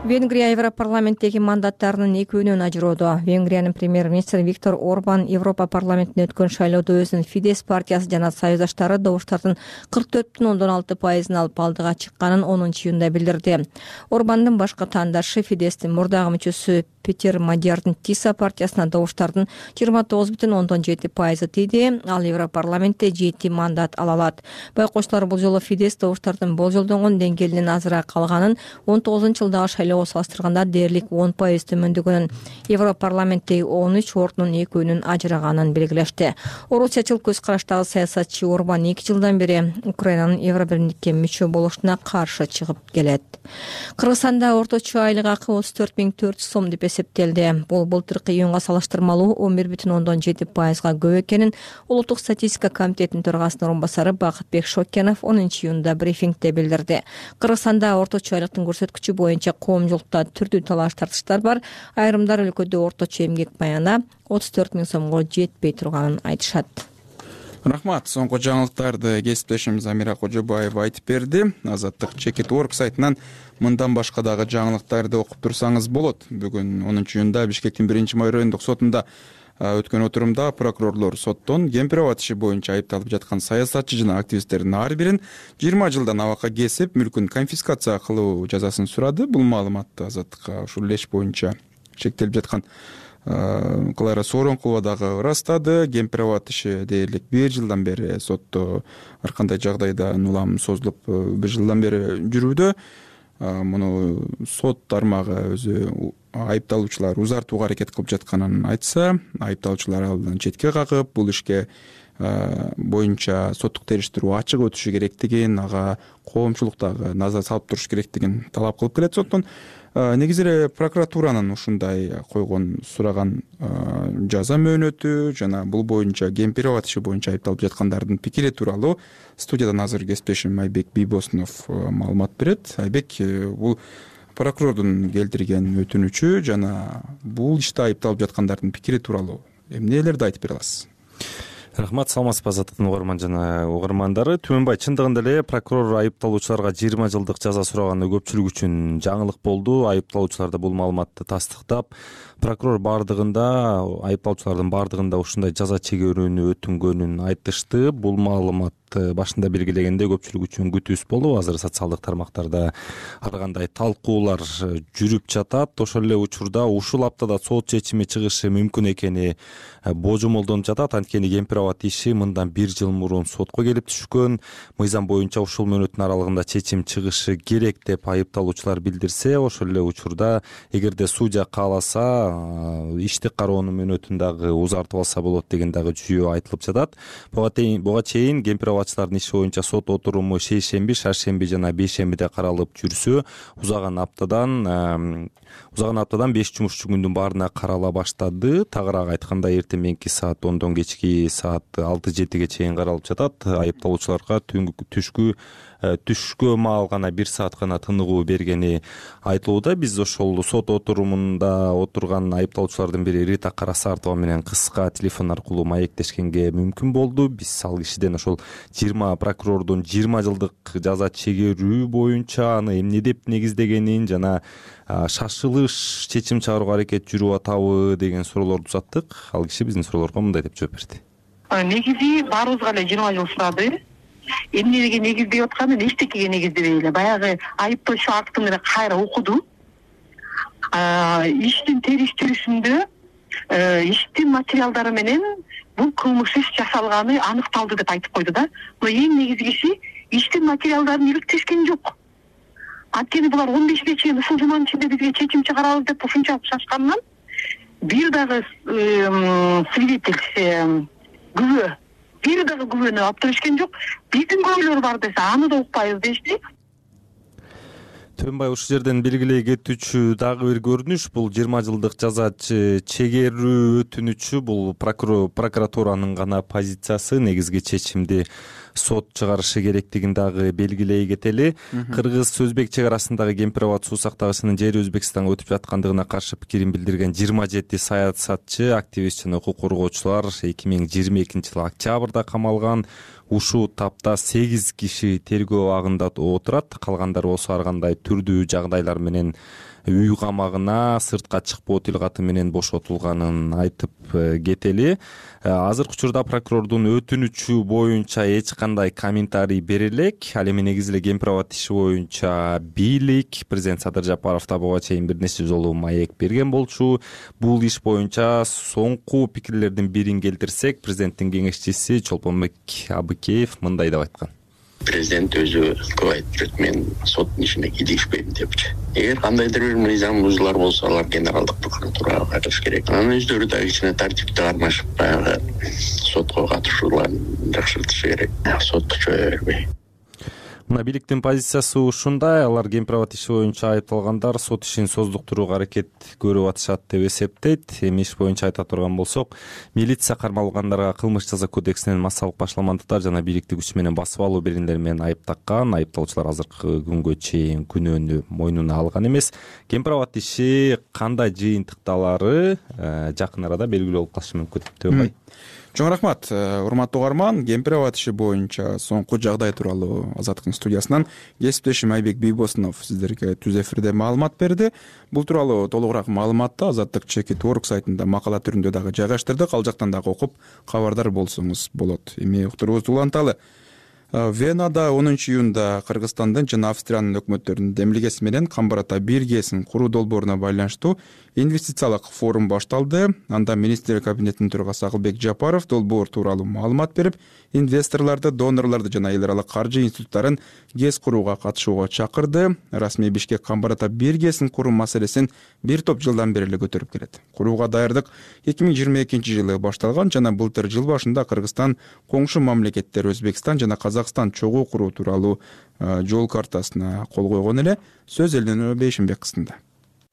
Венгрия Европарламенттеги мандаттарынын экөөнөн ажыроодо. Венгриянын премьер-министри Виктор Орбан Европа парламентине өткөн шайлоодо өзүнүн Фидес партиясы жана союздаштары добуштардын 44,6%-ын алып алдыга чыкканын 10-июнда билдирди. Орбандын башкы таандашы Фидестин мурдагы мүчөсү Петер Мадиярдын Тиса партиясына добуштардын 29,7% тийди. Ал Европарламентте 7 мандат ала алат. Байкоочулар бул жолу Фидес добуштардын болжолдонгон деңгээлинен азыраак калганын, 19-жылдагы шайлоого салыштырганда дээрлик 10% төмөндөгөнүн, Европарламенттеги 13 ордунун экөөнүн ажыраганын белгилешти. Орусиячыл көз караштагы саясатчы Орбан 2 жылдан бери Украинанын Евробиримдикке мүчө болушуна каршы чыгып келет. Кыргызстанда орточо айлык акы 34.400 сом деп эсептелди. Бул былтыркы июнга салыштырмалуу 11,7%-га көп экенин Улуттук статистика комитетинин төрагасынын орун басары Бакытбек Шокенов 10-июнда брифингде билдирди. Кыргызстанда орточо айлыктын көрсөткүчү боюнча коомчулукта түрдүү талаш тартыштар бар. Айрымдар өлкөдө орточо эмгек баяна 34 000 сомго жетпей турганын айтышат. Рахмат. Соңку жаңылыктарды кесиптешimiz Амира Кожобаева айтып берди. Азаттык Чекит.org сайтынан мындан башка дагы жаңылыктарды окуп турсаңыз болот. Бүгүн 10-июнда Бишкектин 1-май райондук сотунда өткөн отурумда прокурорлор соттон Кемпирабад иши боюнча айыпталып жаткан саясатчы жана активисттердин ар бирин 20 жылдан абакка кесип, мүлкүн конфискация кылуу жазасын сурады. Бул маалыматты Азаттыкка ушул иш боюнча чектелип жаткан Клара Сооронкулова дагы ырастады. Кемпирабад иши дээрлик 1 жылдан бери сотто ар кандай жагдайда улам созулуп 1 жылдан бери жүрүүдө. Муну сот тармагы өзү айыпталуучулар узартууга аракет кылып жатканын айтса, айыпталуучулар алдан четке кагып, бул ишке боюнча соттук териштирүү ачык өтүшү керектигин, ага коомчулук дагы назар салып туруш керектигин талап кылып келет соттон. Негизи эле прокуратуранын ушундай койгон сураган жаза мөөнөтү жана бул боюнча Кемпирабад иши боюнча айыпталып жаткандардын пикири тууралуу студиядан азыр кесиптешим Айбек Бийбосунов маалымат берет. Айбек, бул прокурордун келтирген өтүнүчү жана бул иште айыпталып жаткандардын пикири тууралуу эмнелерди айтып бере аласыз? Рахмат, саламатсызбы Азаттыктын угарман жана угармандары. Түмөнбай, чындыгында эле прокурор айыпталуучуларга 20 жылдык жаза сураганы көпчүлүк үчүн жаңылык болду. Айыпталуучулар да бул маалыматты тастыктап, прокурор айыпталуучулардын бардыгында ушундай жаза чегүүнү өтүнгөнүн айтышты. Бул маалымат башында белгилегенде көпчүлүк үчүн күтүүсүз болду. Азыр социалдык тармактарда ар кандай талкуулар жүрүп жатат. Ошол эле учурда ушул аптада сот чечими чыгышы мүмкүн экени божомолдонуп жатат. Анткени Кемпирабад иши мындан 1 жыл мурун сотко келип түшкөн. Мыйзам боюнча ушул мөөнөттүн аралыгында чечим чыгышы керек деп айыпталуучулар билдирсе, ошол эле учурда эгерде судья кааласа, ишти кароонун мөөнөтүн дагы узартып алса болот деген дагы жүйө айтылып жатат. Буга чейин Кемпирабадчылардын иши боюнча сот отуруму шейшемби, шаршемби жана бейшембиде каралып жүрсө, узаган аптадан 5 жумушчу күндүн баарына карала баштады. Тагыраак айтканда, эртең менки саат 10дон кечки саат саат 6-7 чейин каралып жатат. Айыпталуучуларга түшкө маал гана 1 саат гана тыныгуу бергени айтылууда. Биз ошол сот отурумунда отурган айыпталуучулардын бири Рита Карасартова менен кыска телефон аркылуу маектешкенге мүмкүн болду. Биз ал кишиден ошол прокурордун 20 жылдык жаза чегерүү боюнча аны эмне деп негиздегенин жана шашылыш чечим чыгарууга аракет жүрүп атабы деген суроолорду узаттык. Ал киши биздин суроолорго мындай деп жооп берди. Негизи баарыбызга эле 20 жыл сурады. Эмнеге негиздеп атканын эчтекеге негиздебей эле баягы айыптоочу актын эле кайра окуду. Иштин териштирүүсүндө иштин материалдары менен бул кылмыш иш жасалганы аныкталды деп айтып койду да. Но эң негизгиси иштин материалдарын иликтешкен жок. Анткени булар 15ге чейин ушул жуманын ичинде бизге чечим чыгарабыз деп ушунчалык шашкандан бир дагы свидетель күбө бир дагы күбөнү алып беришкен жок. Биздин күбөлөр бар десе аны да укпайбыз дешти. Төнбай ушул жерден белгилей кетүүчү дагы бир көрүнүш бул 20 жылдык жаза чегерүү өтүнүчү бул прокуратуранын гана позициясы. Негизги чечимди сот чыгарышы керектигин дагы белгилей кетели. Кыргыз-Өзбек чек арасындагы Кемпир-Абад суу сактагычынын жери Өзбекстанга өтүп жаткандыгына каршы пикирин билдирген 27 саясатчы, активист жана укук коргоочулар 2022-жылы октябрда камалган. Ушул тапта 8 киши тергөө абагында отурат. Калгандары болсо ар кандай түрдүү жагдайлар менен үй камагына, сыртка чыкпоо тилгаты менен бошотулганын айтып кетели. Азыркы учурда прокурордун өтүнүчү боюнча эч кандай комментарий бере элек. Ал эми негизи эле Кемпир-Абад иши боюнча бийлик президент Садыр Жапаров да буга чейин бир нече жолу маек берген болчу. Бул иш боюнча соңку пикирлердин бирин келтирсек, президенттин кеңешчиси Чолпонбек Абыкеев мындай деп айткан. Президент өзү көп айтып жүрөт, мен соттун ишине кийлигишпейм депчи. Эгер кандайдыр бир мыйзам бузуулар болсо, алар генералдык прокуратурага кайтыш керек. Анын өздөрү да кичине тартипти кармашып, баягы сотко катышууларын жакшыртышы керек. Сотто чөйө бербей. Мына бийликтин позициясы ушундай. Алар Кемпир-Абад иши боюнча айыпталгандар сот ишин создуктурууга аракет көрүп атышат деп эсептейт. Эми иш боюнча айта турган болсок, милиция кармалгандарга кылмыш жаза кодексинен массалык башаламандыктар жана бийликти күч менен басып алуу берендери менен айып таккан. Айыпталуучулар азыркы күнгө чейин күнөөнү мойнуна алган эмес. Кемпир-Абад иши кандай жыйынтыкталары жакын арада белгилүү болуп калышы мүмкүн. Төнбай. Чоң рахмат, урматтуу угарман. Кемпир-Абад иши боюнча соңку жагдай тууралуу Азаттыктын студиясынан кесиптешим Айбек Бийбосунов сиздерге түз эфирде маалымат берди. Бул тууралуу толугураак маалыматты Азаттык /org сайтында макала түрүндө дагы жайгаштырдык. Ал жактан дагы окуп кабардар болсоңуз болот. Эми уктуруубузду уланталы. Венада 10 июнда Кыргызстандын жана Австриянын өкмөттөрүнүн демилгеси менен Камбарата 1 ГЭСин куруу долбооруна байланыштуу инвестициялык форум башталды. Анда министрлер кабинетинин төрагасы Акылбек Жапаров долбоор тууралуу маалымат берип, инвесторлорду, донорлорду жана эл аралык каржы институттарын ГЭС курууга катышууга чакырды. Расмий Бишкек Камбарата 1 ГЭСин куруу маселесин бир топ жылдан бери эле көтөрүп келет. Курууга даярдык 2022-жылы башталган жана былтыр жыл башында Кыргызстан коңшу мамлекеттер Өзбекстан жана Казакстан чогуу куруу тууралуу жол картасына кол койгон эле. Сөз Элнур Бейшимбек кызында.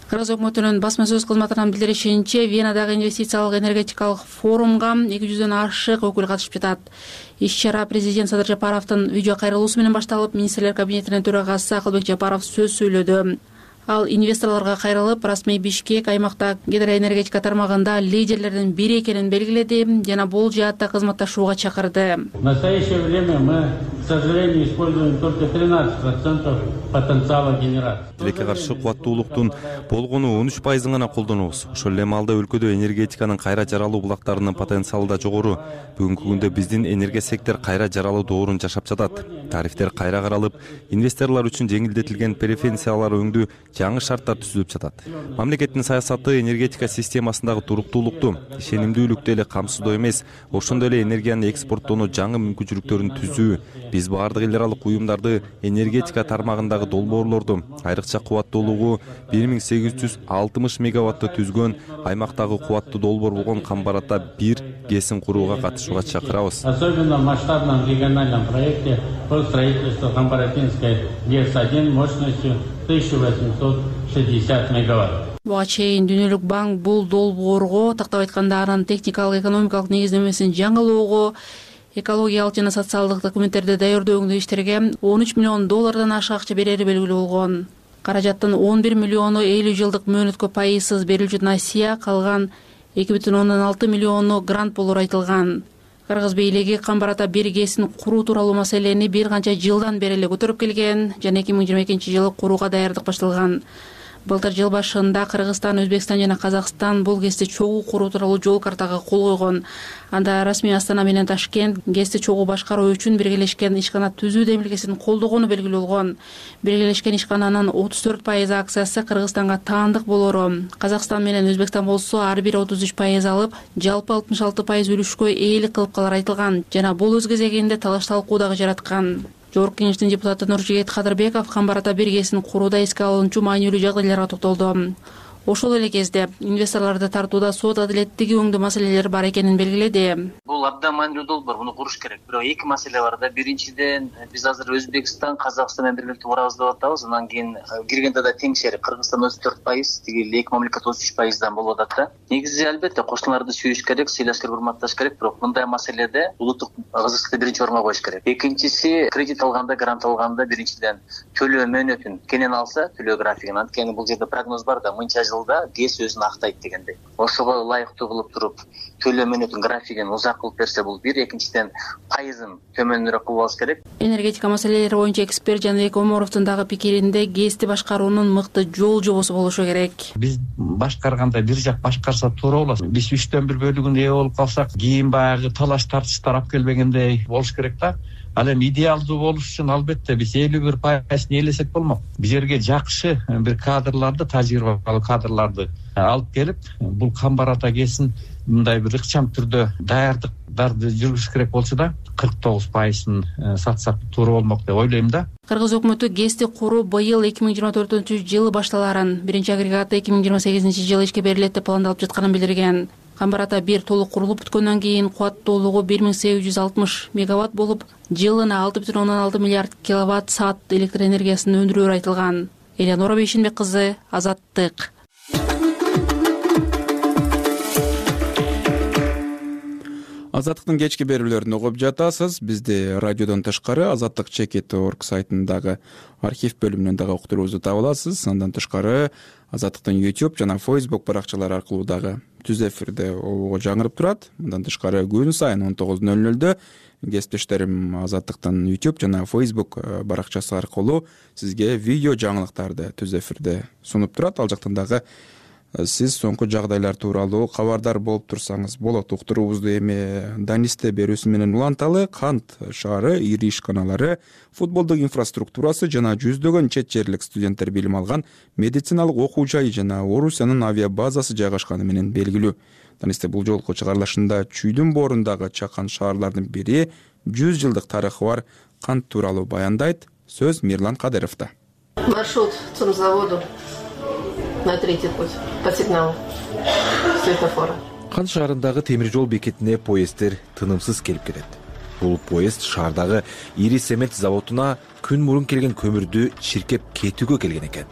Кыргыз өкмөтүнүн басма сөз кызматынан билдиришинче, Венадагы инвестициялык энергетикалык форумга 200дөн ашык өкүл катышып жатат. Иш-чара президент Садыр Жапаровдун видео кайрылуусу менен башталып, министрлер кабинетинин төрагасы Акылбек Жапаров сөз сүйлөдү. Ал инвесторлорго кайрылып, расмий Бишкек аймакта гидроэнергетика тармагында лидерлердин бири экенин белгиледи жана бул жаатта кызматташууга чакырды. В настоящее время мы, к сожалению, используем только 13% потенциала генерации. Тилекке каршы кубаттуулуктун болгону 13% гана колдонобуз. Ошол эле маалда өлкөдө энергетиканын кайра жаралуу булактарынын потенциалы да жогору. Бүгүнкү күндө биздин энергия сектор кайра жаралуу доорун жашап жатат. Тарифтер кайра каралып, инвесторлор үчүн жеңилдетилген преференциялар өңдүү жаңы шарттар түзүлүп жатат. Мамлекеттин саясаты энергетика системасындагы туруктуулукту, ишенимдүүлүктү эле камсыздоо эмес, ошондой эле энергияны экспорттоонун жаңы мүмкүнчүлүктөрүн түзүү. Биз баардык эл аралык уюмдарды энергетика тармагындагы долбоорлорду айрыкча кубаттуулугу 1860 мегаватты түзгөн аймактагы кубаттуу долбоор болгон Камбарата 1 ГЭСин курууга катышууга чакырабыз. Особенно в масштабном региональном проекте по строительству Камбаратинской ГЭС-1 мощностью 1860 мегаватт. Буга чейин Дүйнөлүк банк бул долбоорго, тактап айтканда анын техникалык экономикалык негиздемесин жаңылоого, экологиялык жана социалдык документтерди даярдөөдөгү иштерге $13 миллион ашык акча берери белгилүү болгон. Каражаттын 11 миллиону 50 жылдык мөөнөткө пайызсыз берилчү насыя, калган 2,6 миллиону грант болор айтылган. Кыргыз бийлиги Камбар ата 1 ГЭСин куруу тууралуу маселени бир канча жылдан бери эле көтөрүп келген жана 2022-жылы курууга даярдык башталган. Былтыр жыл башында Кыргызстан, Өзбекстан жана Казакстан бул ГЭСти чогуу куруу тууралуу жол картага кол койгон. Анда расмий Астана менен Ташкент ГЭСти чогуу башкаруу үчүн биргелешкен ишкана түзүү демилгесин колдогону белгилүү болгон. Биргелешкен ишкананын 34% акциясы Кыргызстанга таандык болору. Казакстан менен Өзбекстан болсо ар бир 33% алып, жалпы 66% үлүшкө ээлик кылып калары айтылган жана бул өз кезегинде талаш талкуу дагы жараткан. Жогорку Кеңештин депутаты Нуржигит Кадырбеков Камбар ата 1 ГЭСин курууда эске алынчу маанилүү жагдайларга токтолду. Ошол эле кезде инвесторлорду тартууда сот адилеттиги өңдүү маселелер бар экенин белгиледи. Бул абдан маанилүү долбоор, муну куруш керек. Бирок эки маселе бар да. Биринчиден, биз азыр Өзбекстан, Казакстан менен биргеликте курабыз деп атабыз. Анан кийин киргенде да теңшери Кыргызстан 34%, тиги эки мамлекет 33%дан болуп атат да. Негизи албетте кошуналарды сүйүш керек, сыйлаш керек, урматташ керек, бирок мындай маселеде улуттук ызычтыкты биринчи орунга коюш керек. Экинчиси, кредит алганда, грант алганда биринчиден төлөө мөөнөтүн кенен алса, төлөө графигин. Анткени бул жерде прогноз бар да, мынча жылда ГЭС өзүн актайт дегендей. Ошого ылайыктуу кылып туруп, төлөө мөөнөтүн графигин узак кылып берсе бул бир, экинчиден пайызын төмөнүрөөк кылып алыш керек. Энергетика маселелери боюнча эксперт Жаныбек Омаровдун дагы пикиринде ГЭСти башкаруунун мыкты жол жобосу болушу керек. Биз башкарганда бир жак башкарса туура болот. Биз 3/4 бөлүгүн ээ болуп калсак, кийин баягы талаш тартыштар алып келбегендей болуш керек да. Ал эми идеалдуу болуш үчүн албетте биз 51%ны ээлесек болмок. Бул жерге жакшы бир кадрларды, тажрыйбалуу кадрларды алып келип, бул Камбар ата ГЭСин мындай бир ыкчам түрдө даярдыктарды жүргүзүш керек болчу да, 49%ын сатсак туура болмок деп ойлойм да. Кыргыз өкмөтү ГЭСти куруу быйыл 2024-жылы башталарын, биринчи агрегаты 2028-жылы ишке берилет деп пландалып жатканын билдирген. Камбар ата 1 толук курулуп бүткөндөн кийин кубаттуулугу 1860 мегаватт болуп, жылына 6,6 миллиард киловатт саат электр энергиясын өндүрөөрү айтылган. Элеонора Бейшенбек кызы, Азаттык. Азаттыктын кечки берүүлөрүн угуп жатасыз. Бизди радиодон тышкары azattik.org сайтындагы архив бөлүмүнөн дагы уктуруубузду таба аласыз. Андан тышкары Азаттыктын YouTube жана Facebook баракчалары аркылуу дагы түз эфирде обого жаңырып турат. Мындан тышкары күн сайын 19:00 кесиптештерим Азаттыктын YouTube жана Facebook баракчасы аркылуу сизге видео жаңылыктарды түз эфирде сунуп турат. Ал жактан дагы сиз соңку жагдайлар тууралуу кабардар болуп турсаңыз болот. Уктуруубузду эми Данисте берүүсү менен уланталы. Кант шаары ири ишканалары, футболдук инфраструктурасы жана жүздөгөн чет жерлик студенттер билим алган медициналык окуу жайы жана Орусиянын авиа базасы жайгашканы менен белгилүү. Данисте бул жолку чыгарылышында Чүйдүн боорундагы чакан шаарлардын бири 100 жылдык тарыхы бар Кант тууралуу баяндайт. Сөз Мирлан Кадыровдо. Маршрут Цумзаводу на третий путь по сигналу светофора. Кант шаарындагы темир жол бекетине поезддер тынымсыз келип кетет. Бул поезд шаардагы ири цемент заводуна күн мурун келген көмүрдү чиркеп кетүүгө келген экен.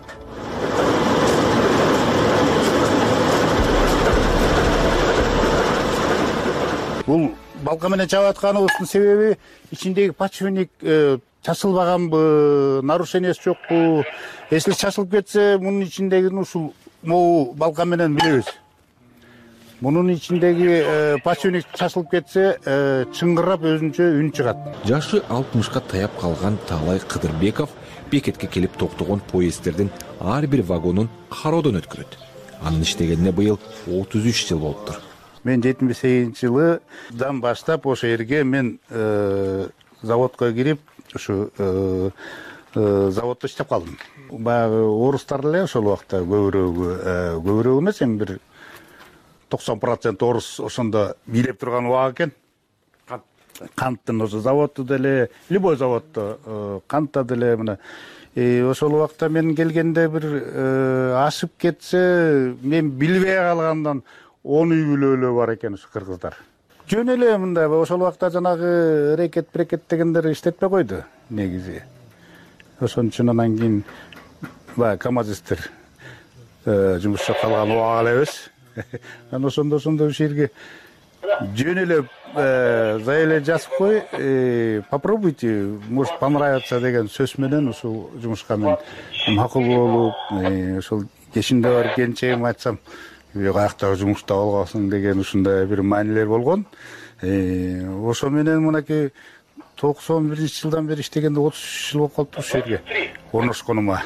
Бул балка менен чаап атканыбыздын себеби ичиндеги подшипник чачылбаганбы, нарушениясы жокпу? Если чачылып кетсе, мунун ичиндеги ушул могу балка менен билебиз. Мунун ичиндеги подшипник чачылып кетсе, чыңгырап өзүнчө үн чыгат. Жашы 60-ка таяп калган Таалай Кыдырбеков бекетке келип токтогон поезддердин ар бир вагонун кароодон өткөрөт. Анын иштегенине быйыл 33 жыл болуптур. Мен 78-жылдан баштап ошо жерге мен заводко кирип, ушу заводдо иштеп калдым. Баягы орустар эле ошол убакта көбүрөөгү эмес, эми бир 90% орус ошондо бийлеп турган убак экен. Канттын ошо заводу деле, любой заводдо кантта деле мына ошол убакта мен келгенде бир ашып кетсе, мен билбей калгандан 10 үй бүлөлүү бар экен ушу кыргыздар. Жөн эле мындай ошол убакта жанагы рекет дегендер иштетпей койду негизи. Ошон үчүн анан кийин баягы камазистер жумуш жасап калган убак эле эбиз. Анан ошондо ушул жерге жөн эле зай эле жазып кой, попробуйте, может понравится деген сөз менен ушул жумушка мен макул болуп, ошол кешинде барып келинчегиме айтсам, каяктагы жумушта болгонсуң деген ушундай бир маанилер болгон. Ошо менен мынакей 91-жылдан бери иштегенде 33 жыл болуп калыптыр ушул жерге орношконума.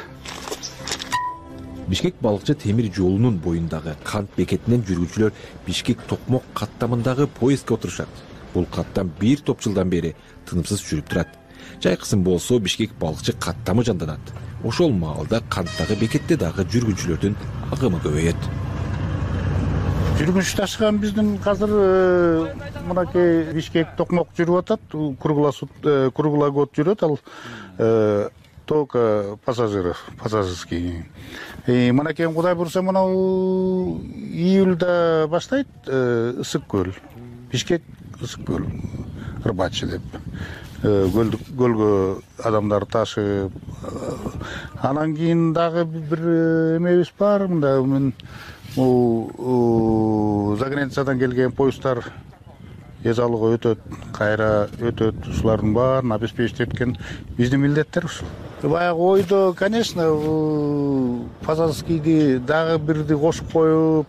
Бишкек балыкчы темир жолунун боюндагы кант бекетинен жүргүчүлөр Бишкек-Токмок каттамындагы поездге отурушат. Бул каттам бир топ жылдан бери тынымсыз жүрүп турат. Жайкысын болсо Бишкек балыкчы каттамы жанданат. Ошол маалда канттагы бекетте дагы жүргүнчүлөрдүн агымы көбөйөт. Жүргүнүш ташыган биздин азыр мынакей Бишкек-Токмок жүрүп атат, круглогодь жүрөт, ал только пассажирский. Мынакей Кудай бурса мынау июльда баштайт ысык көл. Бишкек ысык көл, рыбачы деп. Көлгө адамдар ташып. Анан кийин дагы бир эмебиз бар, мында мен за границадан келген поезддар эзалууга өтөт, кайра өтөт. Ушулардын баарын обеспечить эткен биздин милдеттер ушул. Баягы ойдо, конечно, пассажирскийди дагы бирди кошуп коюп,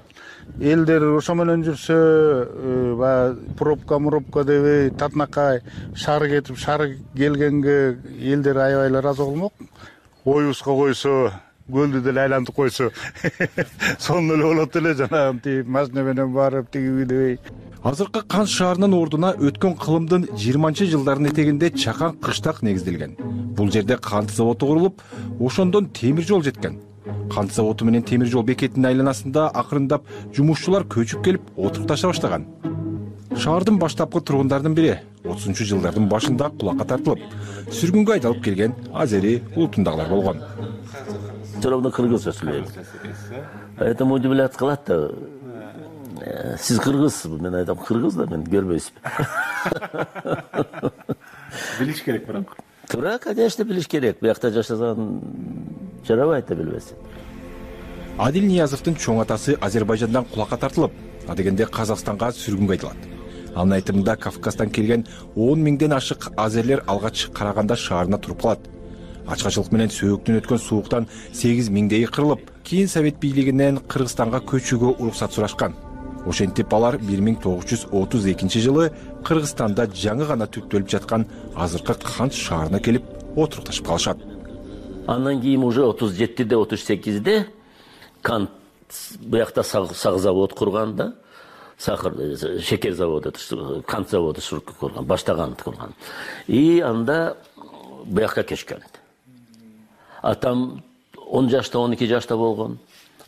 элдер ошо менен жүрсө, баягы пробка дебей, татынакай шаар кетип, шаар келгенге элдер аябай эле ыраазы болмок. Оюбузга койсо, көлдү деле айлантып койсо, сонун эле болот эле, жанагы тип машина менен барып тиги дебей. Азыркы Кант шаарынын ордуна өткөн кылымдын 20-жылдардын этегинде чакан кыштак негизделген. Бул жерде кант заводу курулуп, ошондон темир жол жеткен. Кант заводу менен темир жол бекетинин айланасында акырындап жумушчулар көчүп келип отурукташа баштаган. Шаардын баштапкы тургундарынын бири 30-жылдардын башында кулакка тартылып, сүргүнгө айдалып келген азери улутундагылар болгон. Все равно кыргыз сөйлөйм. Поэтому удивляться кылат да. Сиз кыргызсызбы? Мен айтам, кыргыз да, мен көрбөйсүзбү. Билиш керек бирок. Туура, конечно, билиш керек. Буякта жашасаң жарабайт да билбесең. Адил Ниязовдун чоң атасы Азербайжандан кулакка тартылып, адегенде Казакстанга сүргүнгө айдалат. Анын айтымында Кавказдан келген 10 миңден ашык азерлер алгач караганда шаарына туруп калат. Ачкачылык менен сөөктөн өткөн сууктан 8 миңдейи кырылып, кийин Совет бийлигинен Кыргызстанга көчүүгө уруксат сурашкан. Ошентип алар 1932 жылы Кыргызстанда жаңы гана түптөлүп жаткан азыркы Кант шаарына келип отурукташып калышат. Андан кийин уже 37-де, 38-де Кант буякта сак завод курган да, шекер заводу, кант заводу курган, баштаган курган. И анда буякка көчкөн. Атам 10 жашта, 12 жашта болгон,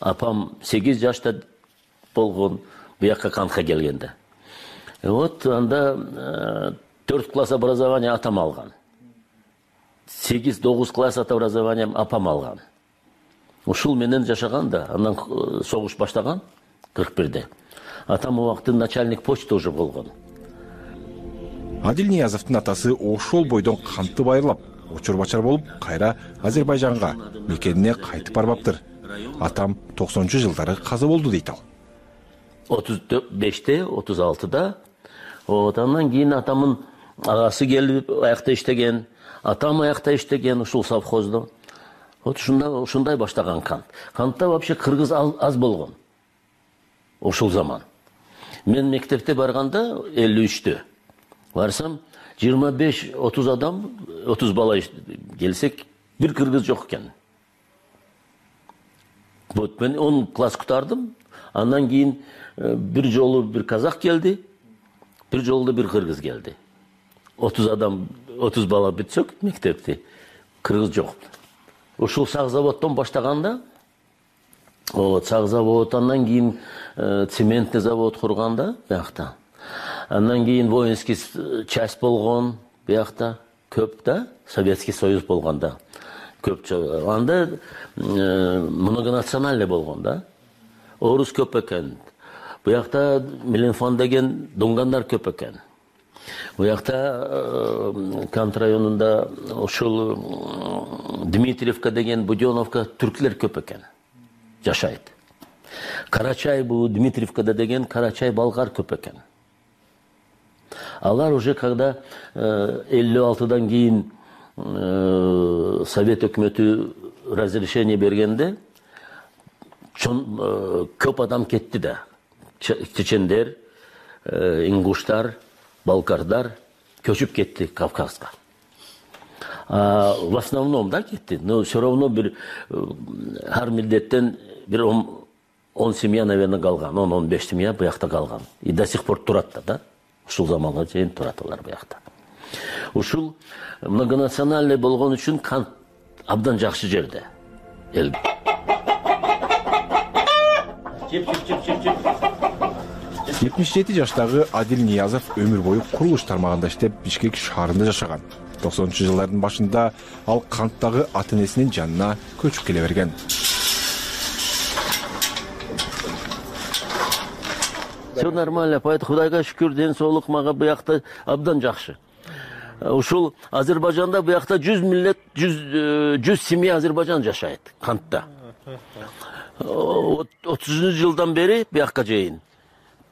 апам 8 жашта болгон. Буякка Кантка келгенде. Вот анда 4 класс образования атам алган. 8-9 класс образования апам алган. Ушул менен жашаган да, андан согуш баштаган 41-де. Атам убакытын начальник почта уже болгон. Адил Ниязовдун атасы ошол бойдон кантты байырлап, очор-бачар болуп, кайра Азербайжанга, мекенине кайтып барбаптыр. Атам 90-жылдары каза болду дейт ал. 35-те, 36-да. Андан кийин атамын агасы келип аякта иштеген, атам аякта иштеген ушул совхоздо. Вот ушундай баштаган Кант. Кантта вообще кыргыз аз болгон. Ошол заман. Мен мектепте барганда 53-тө барсам 25-30 адам, 30 бала келсек, бир кыргыз жок экен. Вот мен 10 класс кутардым. Андан кийин бир жолу бир казак келди, бир жолу бир кыргыз келди. 30 адам, 30 бала бүтсөк мектепти, кыргыз жок. Ушул сак заводдон баштаганда, сак завод, андан кийин цементный завод курганда буякта. Андан кийин воинский часть болгон буякта, көп да, Советский Союз болгонда. Көп. Анда многонациональный болгон да. Орус көп экен. Буякта Меленфон деген дунгандар көп экен. Буякта Кант районунда ошол Дмитриевка деген Буденовка түрклер көп экен. Жашайт. Карачай, Дмитриевкада деген Карачай балгар көп экен. Алар уже когда 56-дан кийин Совет өкмөтү разрешение бергенде көп адам кетти да. Чечендер, ингуштар, балкардар көчүп кетти Кавказга. В основном да кетти, но все равно ар милдеттен 10 семья, наверное, калган, 10-15 семья буякта калган. И до сих пор турат да. Ушул заманга чейин турат алар буякта. Ушул многонациональный болгон үчүн Кант абдан жакшы жерде. 77 жаштагы Адил Ниязов өмүр бою курулуш тармагында иштеп, Бишкек шаарында жашаган. 90-жылдардын башында ал Канттагы ата-энесинин жанына көчүп келе берген. Все нормально, поэтому Кудайга шүкүр, ден соолук мага буякта абдан жакшы. Ушул Азербайжанда буякта 100 семья Азербайжан жашайт Кантта. 30-жылдан бери буякка чейин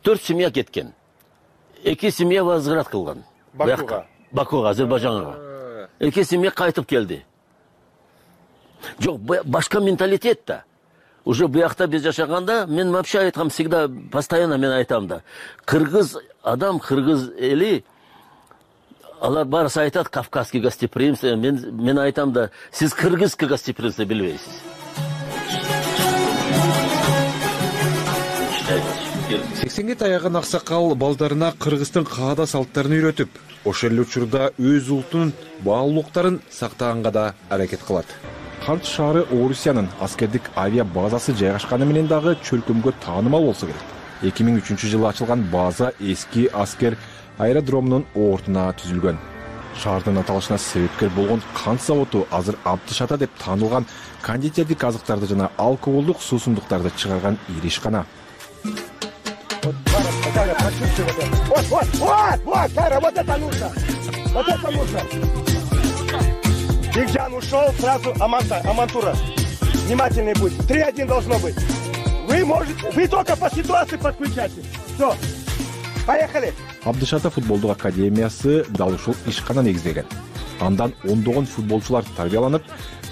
4 семья кеткен. 2 семья возврат кылган. Бакуга, Азербайжанга. 2 семья кайтып келди. Жок, башка менталитет да. Уже буякта биз жашаганда, мен вообще айткам, всегда, постоянно мен айтам да. Кыргыз адам, кыргыз эли, алар барысы айтат кавказский гостеприимство. Мен айтам да, сиз кыргызский гостеприимство билбейсиз. 80-ге таяган аксакал балдарына Кыргыздын каада салттарын үйрөтүп, ошол эле учурда өз улутунун баалуулуктарын сактаганга да аракет кылат. Кант шаары Орусиянын аскердик авиа базасы жайгашканы менен дагы чөлкөмгө таанымал болсо керек. 2003-жылы ачылган база эски аскер аэродромунун ортуна түзүлгөн. Шаардын аталышына себепкер болгон кант заводу азыр Абдышата деп таанылган кондитердик азыктарды жана алкоголдук суусундуктарды чыгарган ири ишкана. Бигжан ушел, сразу Амантура. Внимательный будь. 3-1 должно быть. Вы только по ситуации подключайтесь. Все. Поехали. Абдышата футболдук академиясы дал ушул ишкана негиздеген. Андан ондогон футболчулар тарбияланып,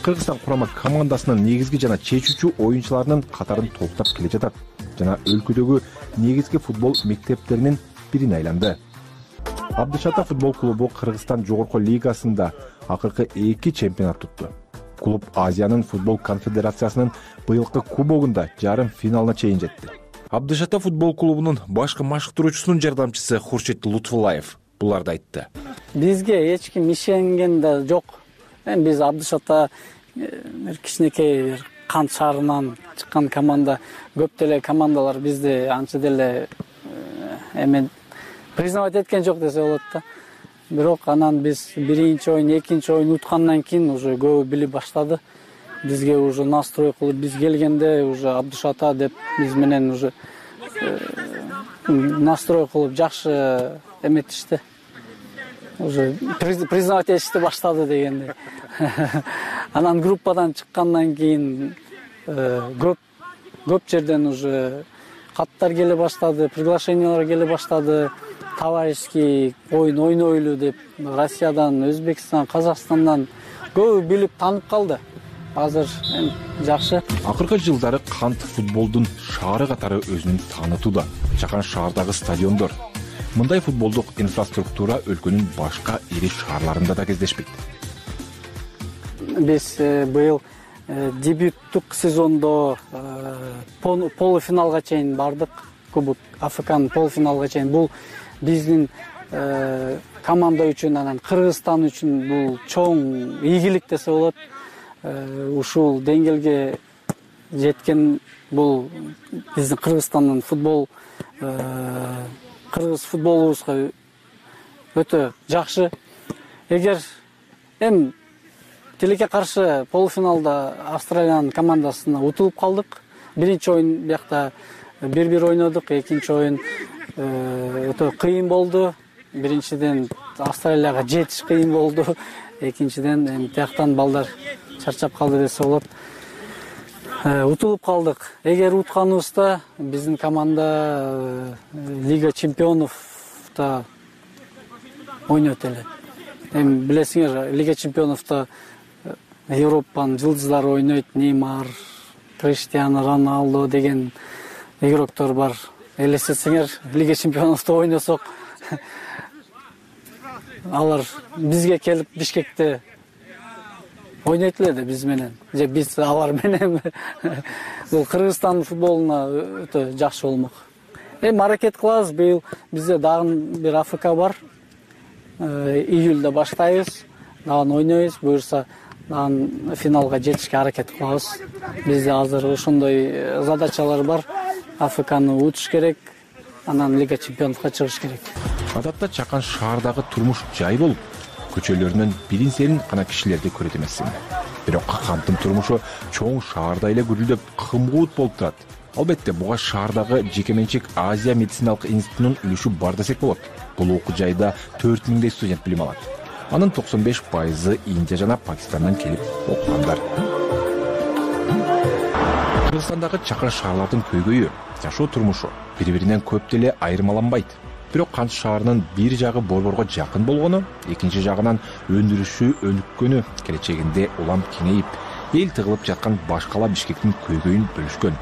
Кыргызстан курама командасынын негизги жана чечүүчү оюнчуларынын катарын толуктап келе жатат жана өлкөдөгү негизги футбол мектептеринин бирине айланды. Абдышата футбол клубу Кыргызстан жогорку лигасында акыркы 2 чемпионат тутту. Клуб Азиянын футбол конфедерациясынын быйылкы кубогунда жарым финалына чейин жетти. Абдышата футбол клубунун башкы машыктыруучусунун жардамчысы Хуршет Лутфуллаев буларды айтты. Бизге эч ким ишенген да жок. Биз Абдышата кичинекей Кант шаарынан чыккан команда, көп деле командалар бизди анча деле признавать эткен жок десе болот да. Бирок анан биз биринчи оюн, экинчи оюн уткандан кийин уже көбү билип баштады. Бизге уже настрой кылып, биз келгенде уже Абдышата деп биз менен уже настрой кылып жакшы эметишти. Уже признавать этишти баштады дегенде. Анан группадан чыккандан кийин көп жерден уже каттар келе баштады, приглашениялар келе баштады. Товарищеский оюн ойнойлу деп Россиядан, Өзбекстан, Казакстандан көбү билип таанып калды. Азыр жакшы. Акыркы жылдары Кант футболдун шаары катары өзүнүн таанытууда. Жакан шаардагы стадиондор. Мындай футболдук инфраструктура өлкөнүн башка ири шаарларында да кездешпейт. Биз быйыл дебюттук сезондо полуфиналга чейин бардык. Кубок Африканын полуфиналга чейин. Бул биздин команда үчүн, анан Кыргызстан үчүн бул чоң ийгилик десе болот. Ушул деңгээлге жеткен бул биздин Кыргызстандын кыргыз футболубузга өтө жакшы. Эгер тилекке каршы полуфиналда Австралиянын командасына утулуп калдык. Биринчи оюн биякта 1-1 ойнодук, экинчи оюн өтө кыйын болду. Биринчиден Австралияга жетиш кыйын болду. Экинчиден тияктан балдар чарчап калды десе болот. Утулуп калдык. Эгер утканыбызда биздин команда Лига чемпионовда ойнойт эле. Эми билесиңер, Лига чемпионовда Европанын жылдыздары ойнойт. Неймар, Криштиано Роналдо деген игроктор бар. Элестетсеңер, Лига чемпионовда ойносок, алар бизге келип Бишкекте ойнойт эле да биз менен. Же биз алар менен. Бул Кыргызстан футболуна өтө жакшы болмок. Эми аракет кылабыз. Быйыл бизде дагы бир АФК бар. Июльдө баштайбыз. Дагы ойнойбуз. Буюрса дагы финалга жетишке аракет кылабыз. Бизде азыр ошондой задачалар бар. АФКны утуш керек, анан Лига чемпионовго чыгыш керек. Адатта Чакан шаардагы турмуш жай болуп, көчөлөрүнөн билин-серин гана кишилерди көрөт эмессиң. Бирок Кантын турмушу чоң шаарда эле гүрүлдөп, кымгуут болуп турат. Албетте, буга шаардагы жекеменчик Азия медициналык институтунун үлүшү бар десек болот. Бул окуу жайда 4000 студент билим алат. Анын 95% Индия жана Пакистандан келип окугандар. Кыргызстандагы чакан шаарлардын көйгөйү, жашоо турмушу бири-биринен көп деле айырмаланбайт. Бирок Кант шаарынын бир жагы борборго жакын болгону, экинчи жагынан өндүрүшү өнүккөнү, келечегинде улам кеңейип, эл тыгылып жаткан башкала Бишкектин көйгөйүн бөлүшкөн,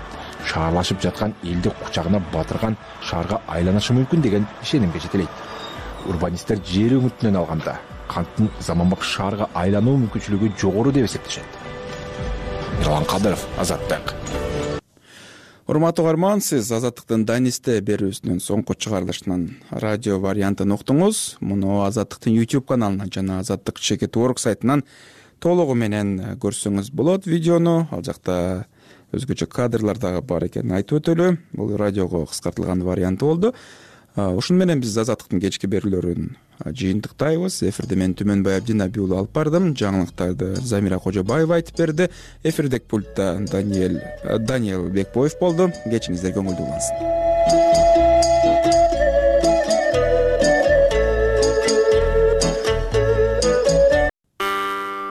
шаарлашып жаткан элди кучагына батырган шаарга айланышы мүмкүн деген ишенимге жетелейт. Урбанисттер жер үмүтүнөн алганда Канттын заманбап шаарга айлануу мүмкүнчүлүгү жогору деп эсептешет. Мирлан Кадыров, Азаттык. Урматтуу угарман, сиз Азаттыктын Данисте берүүсүнүн соңку чыгарылышынан радио вариантын уктуңуз. Муну Азаттыктын YouTube каналынан жана Азаттык Cheket.org сайтынан толугу менен көрсөңүз болот видеону. Ал жакта өзгөчө кадрлар дагы бар экенин айтып өтөлү. Бул радиого кыскартылган варианты болду. Ушуну менен биз Азаттыктын кечки берүүлөрүн жыйынтыктайбыз. Эфирде мен Түмөнбай Абдинабий уулу алып бардым. Жаңылыктарды Замира Кожобаева айтып берди. Эфирдеги пультта Даниэл Бекбоев болду. Кечиңиздер көңүлдүү улансын.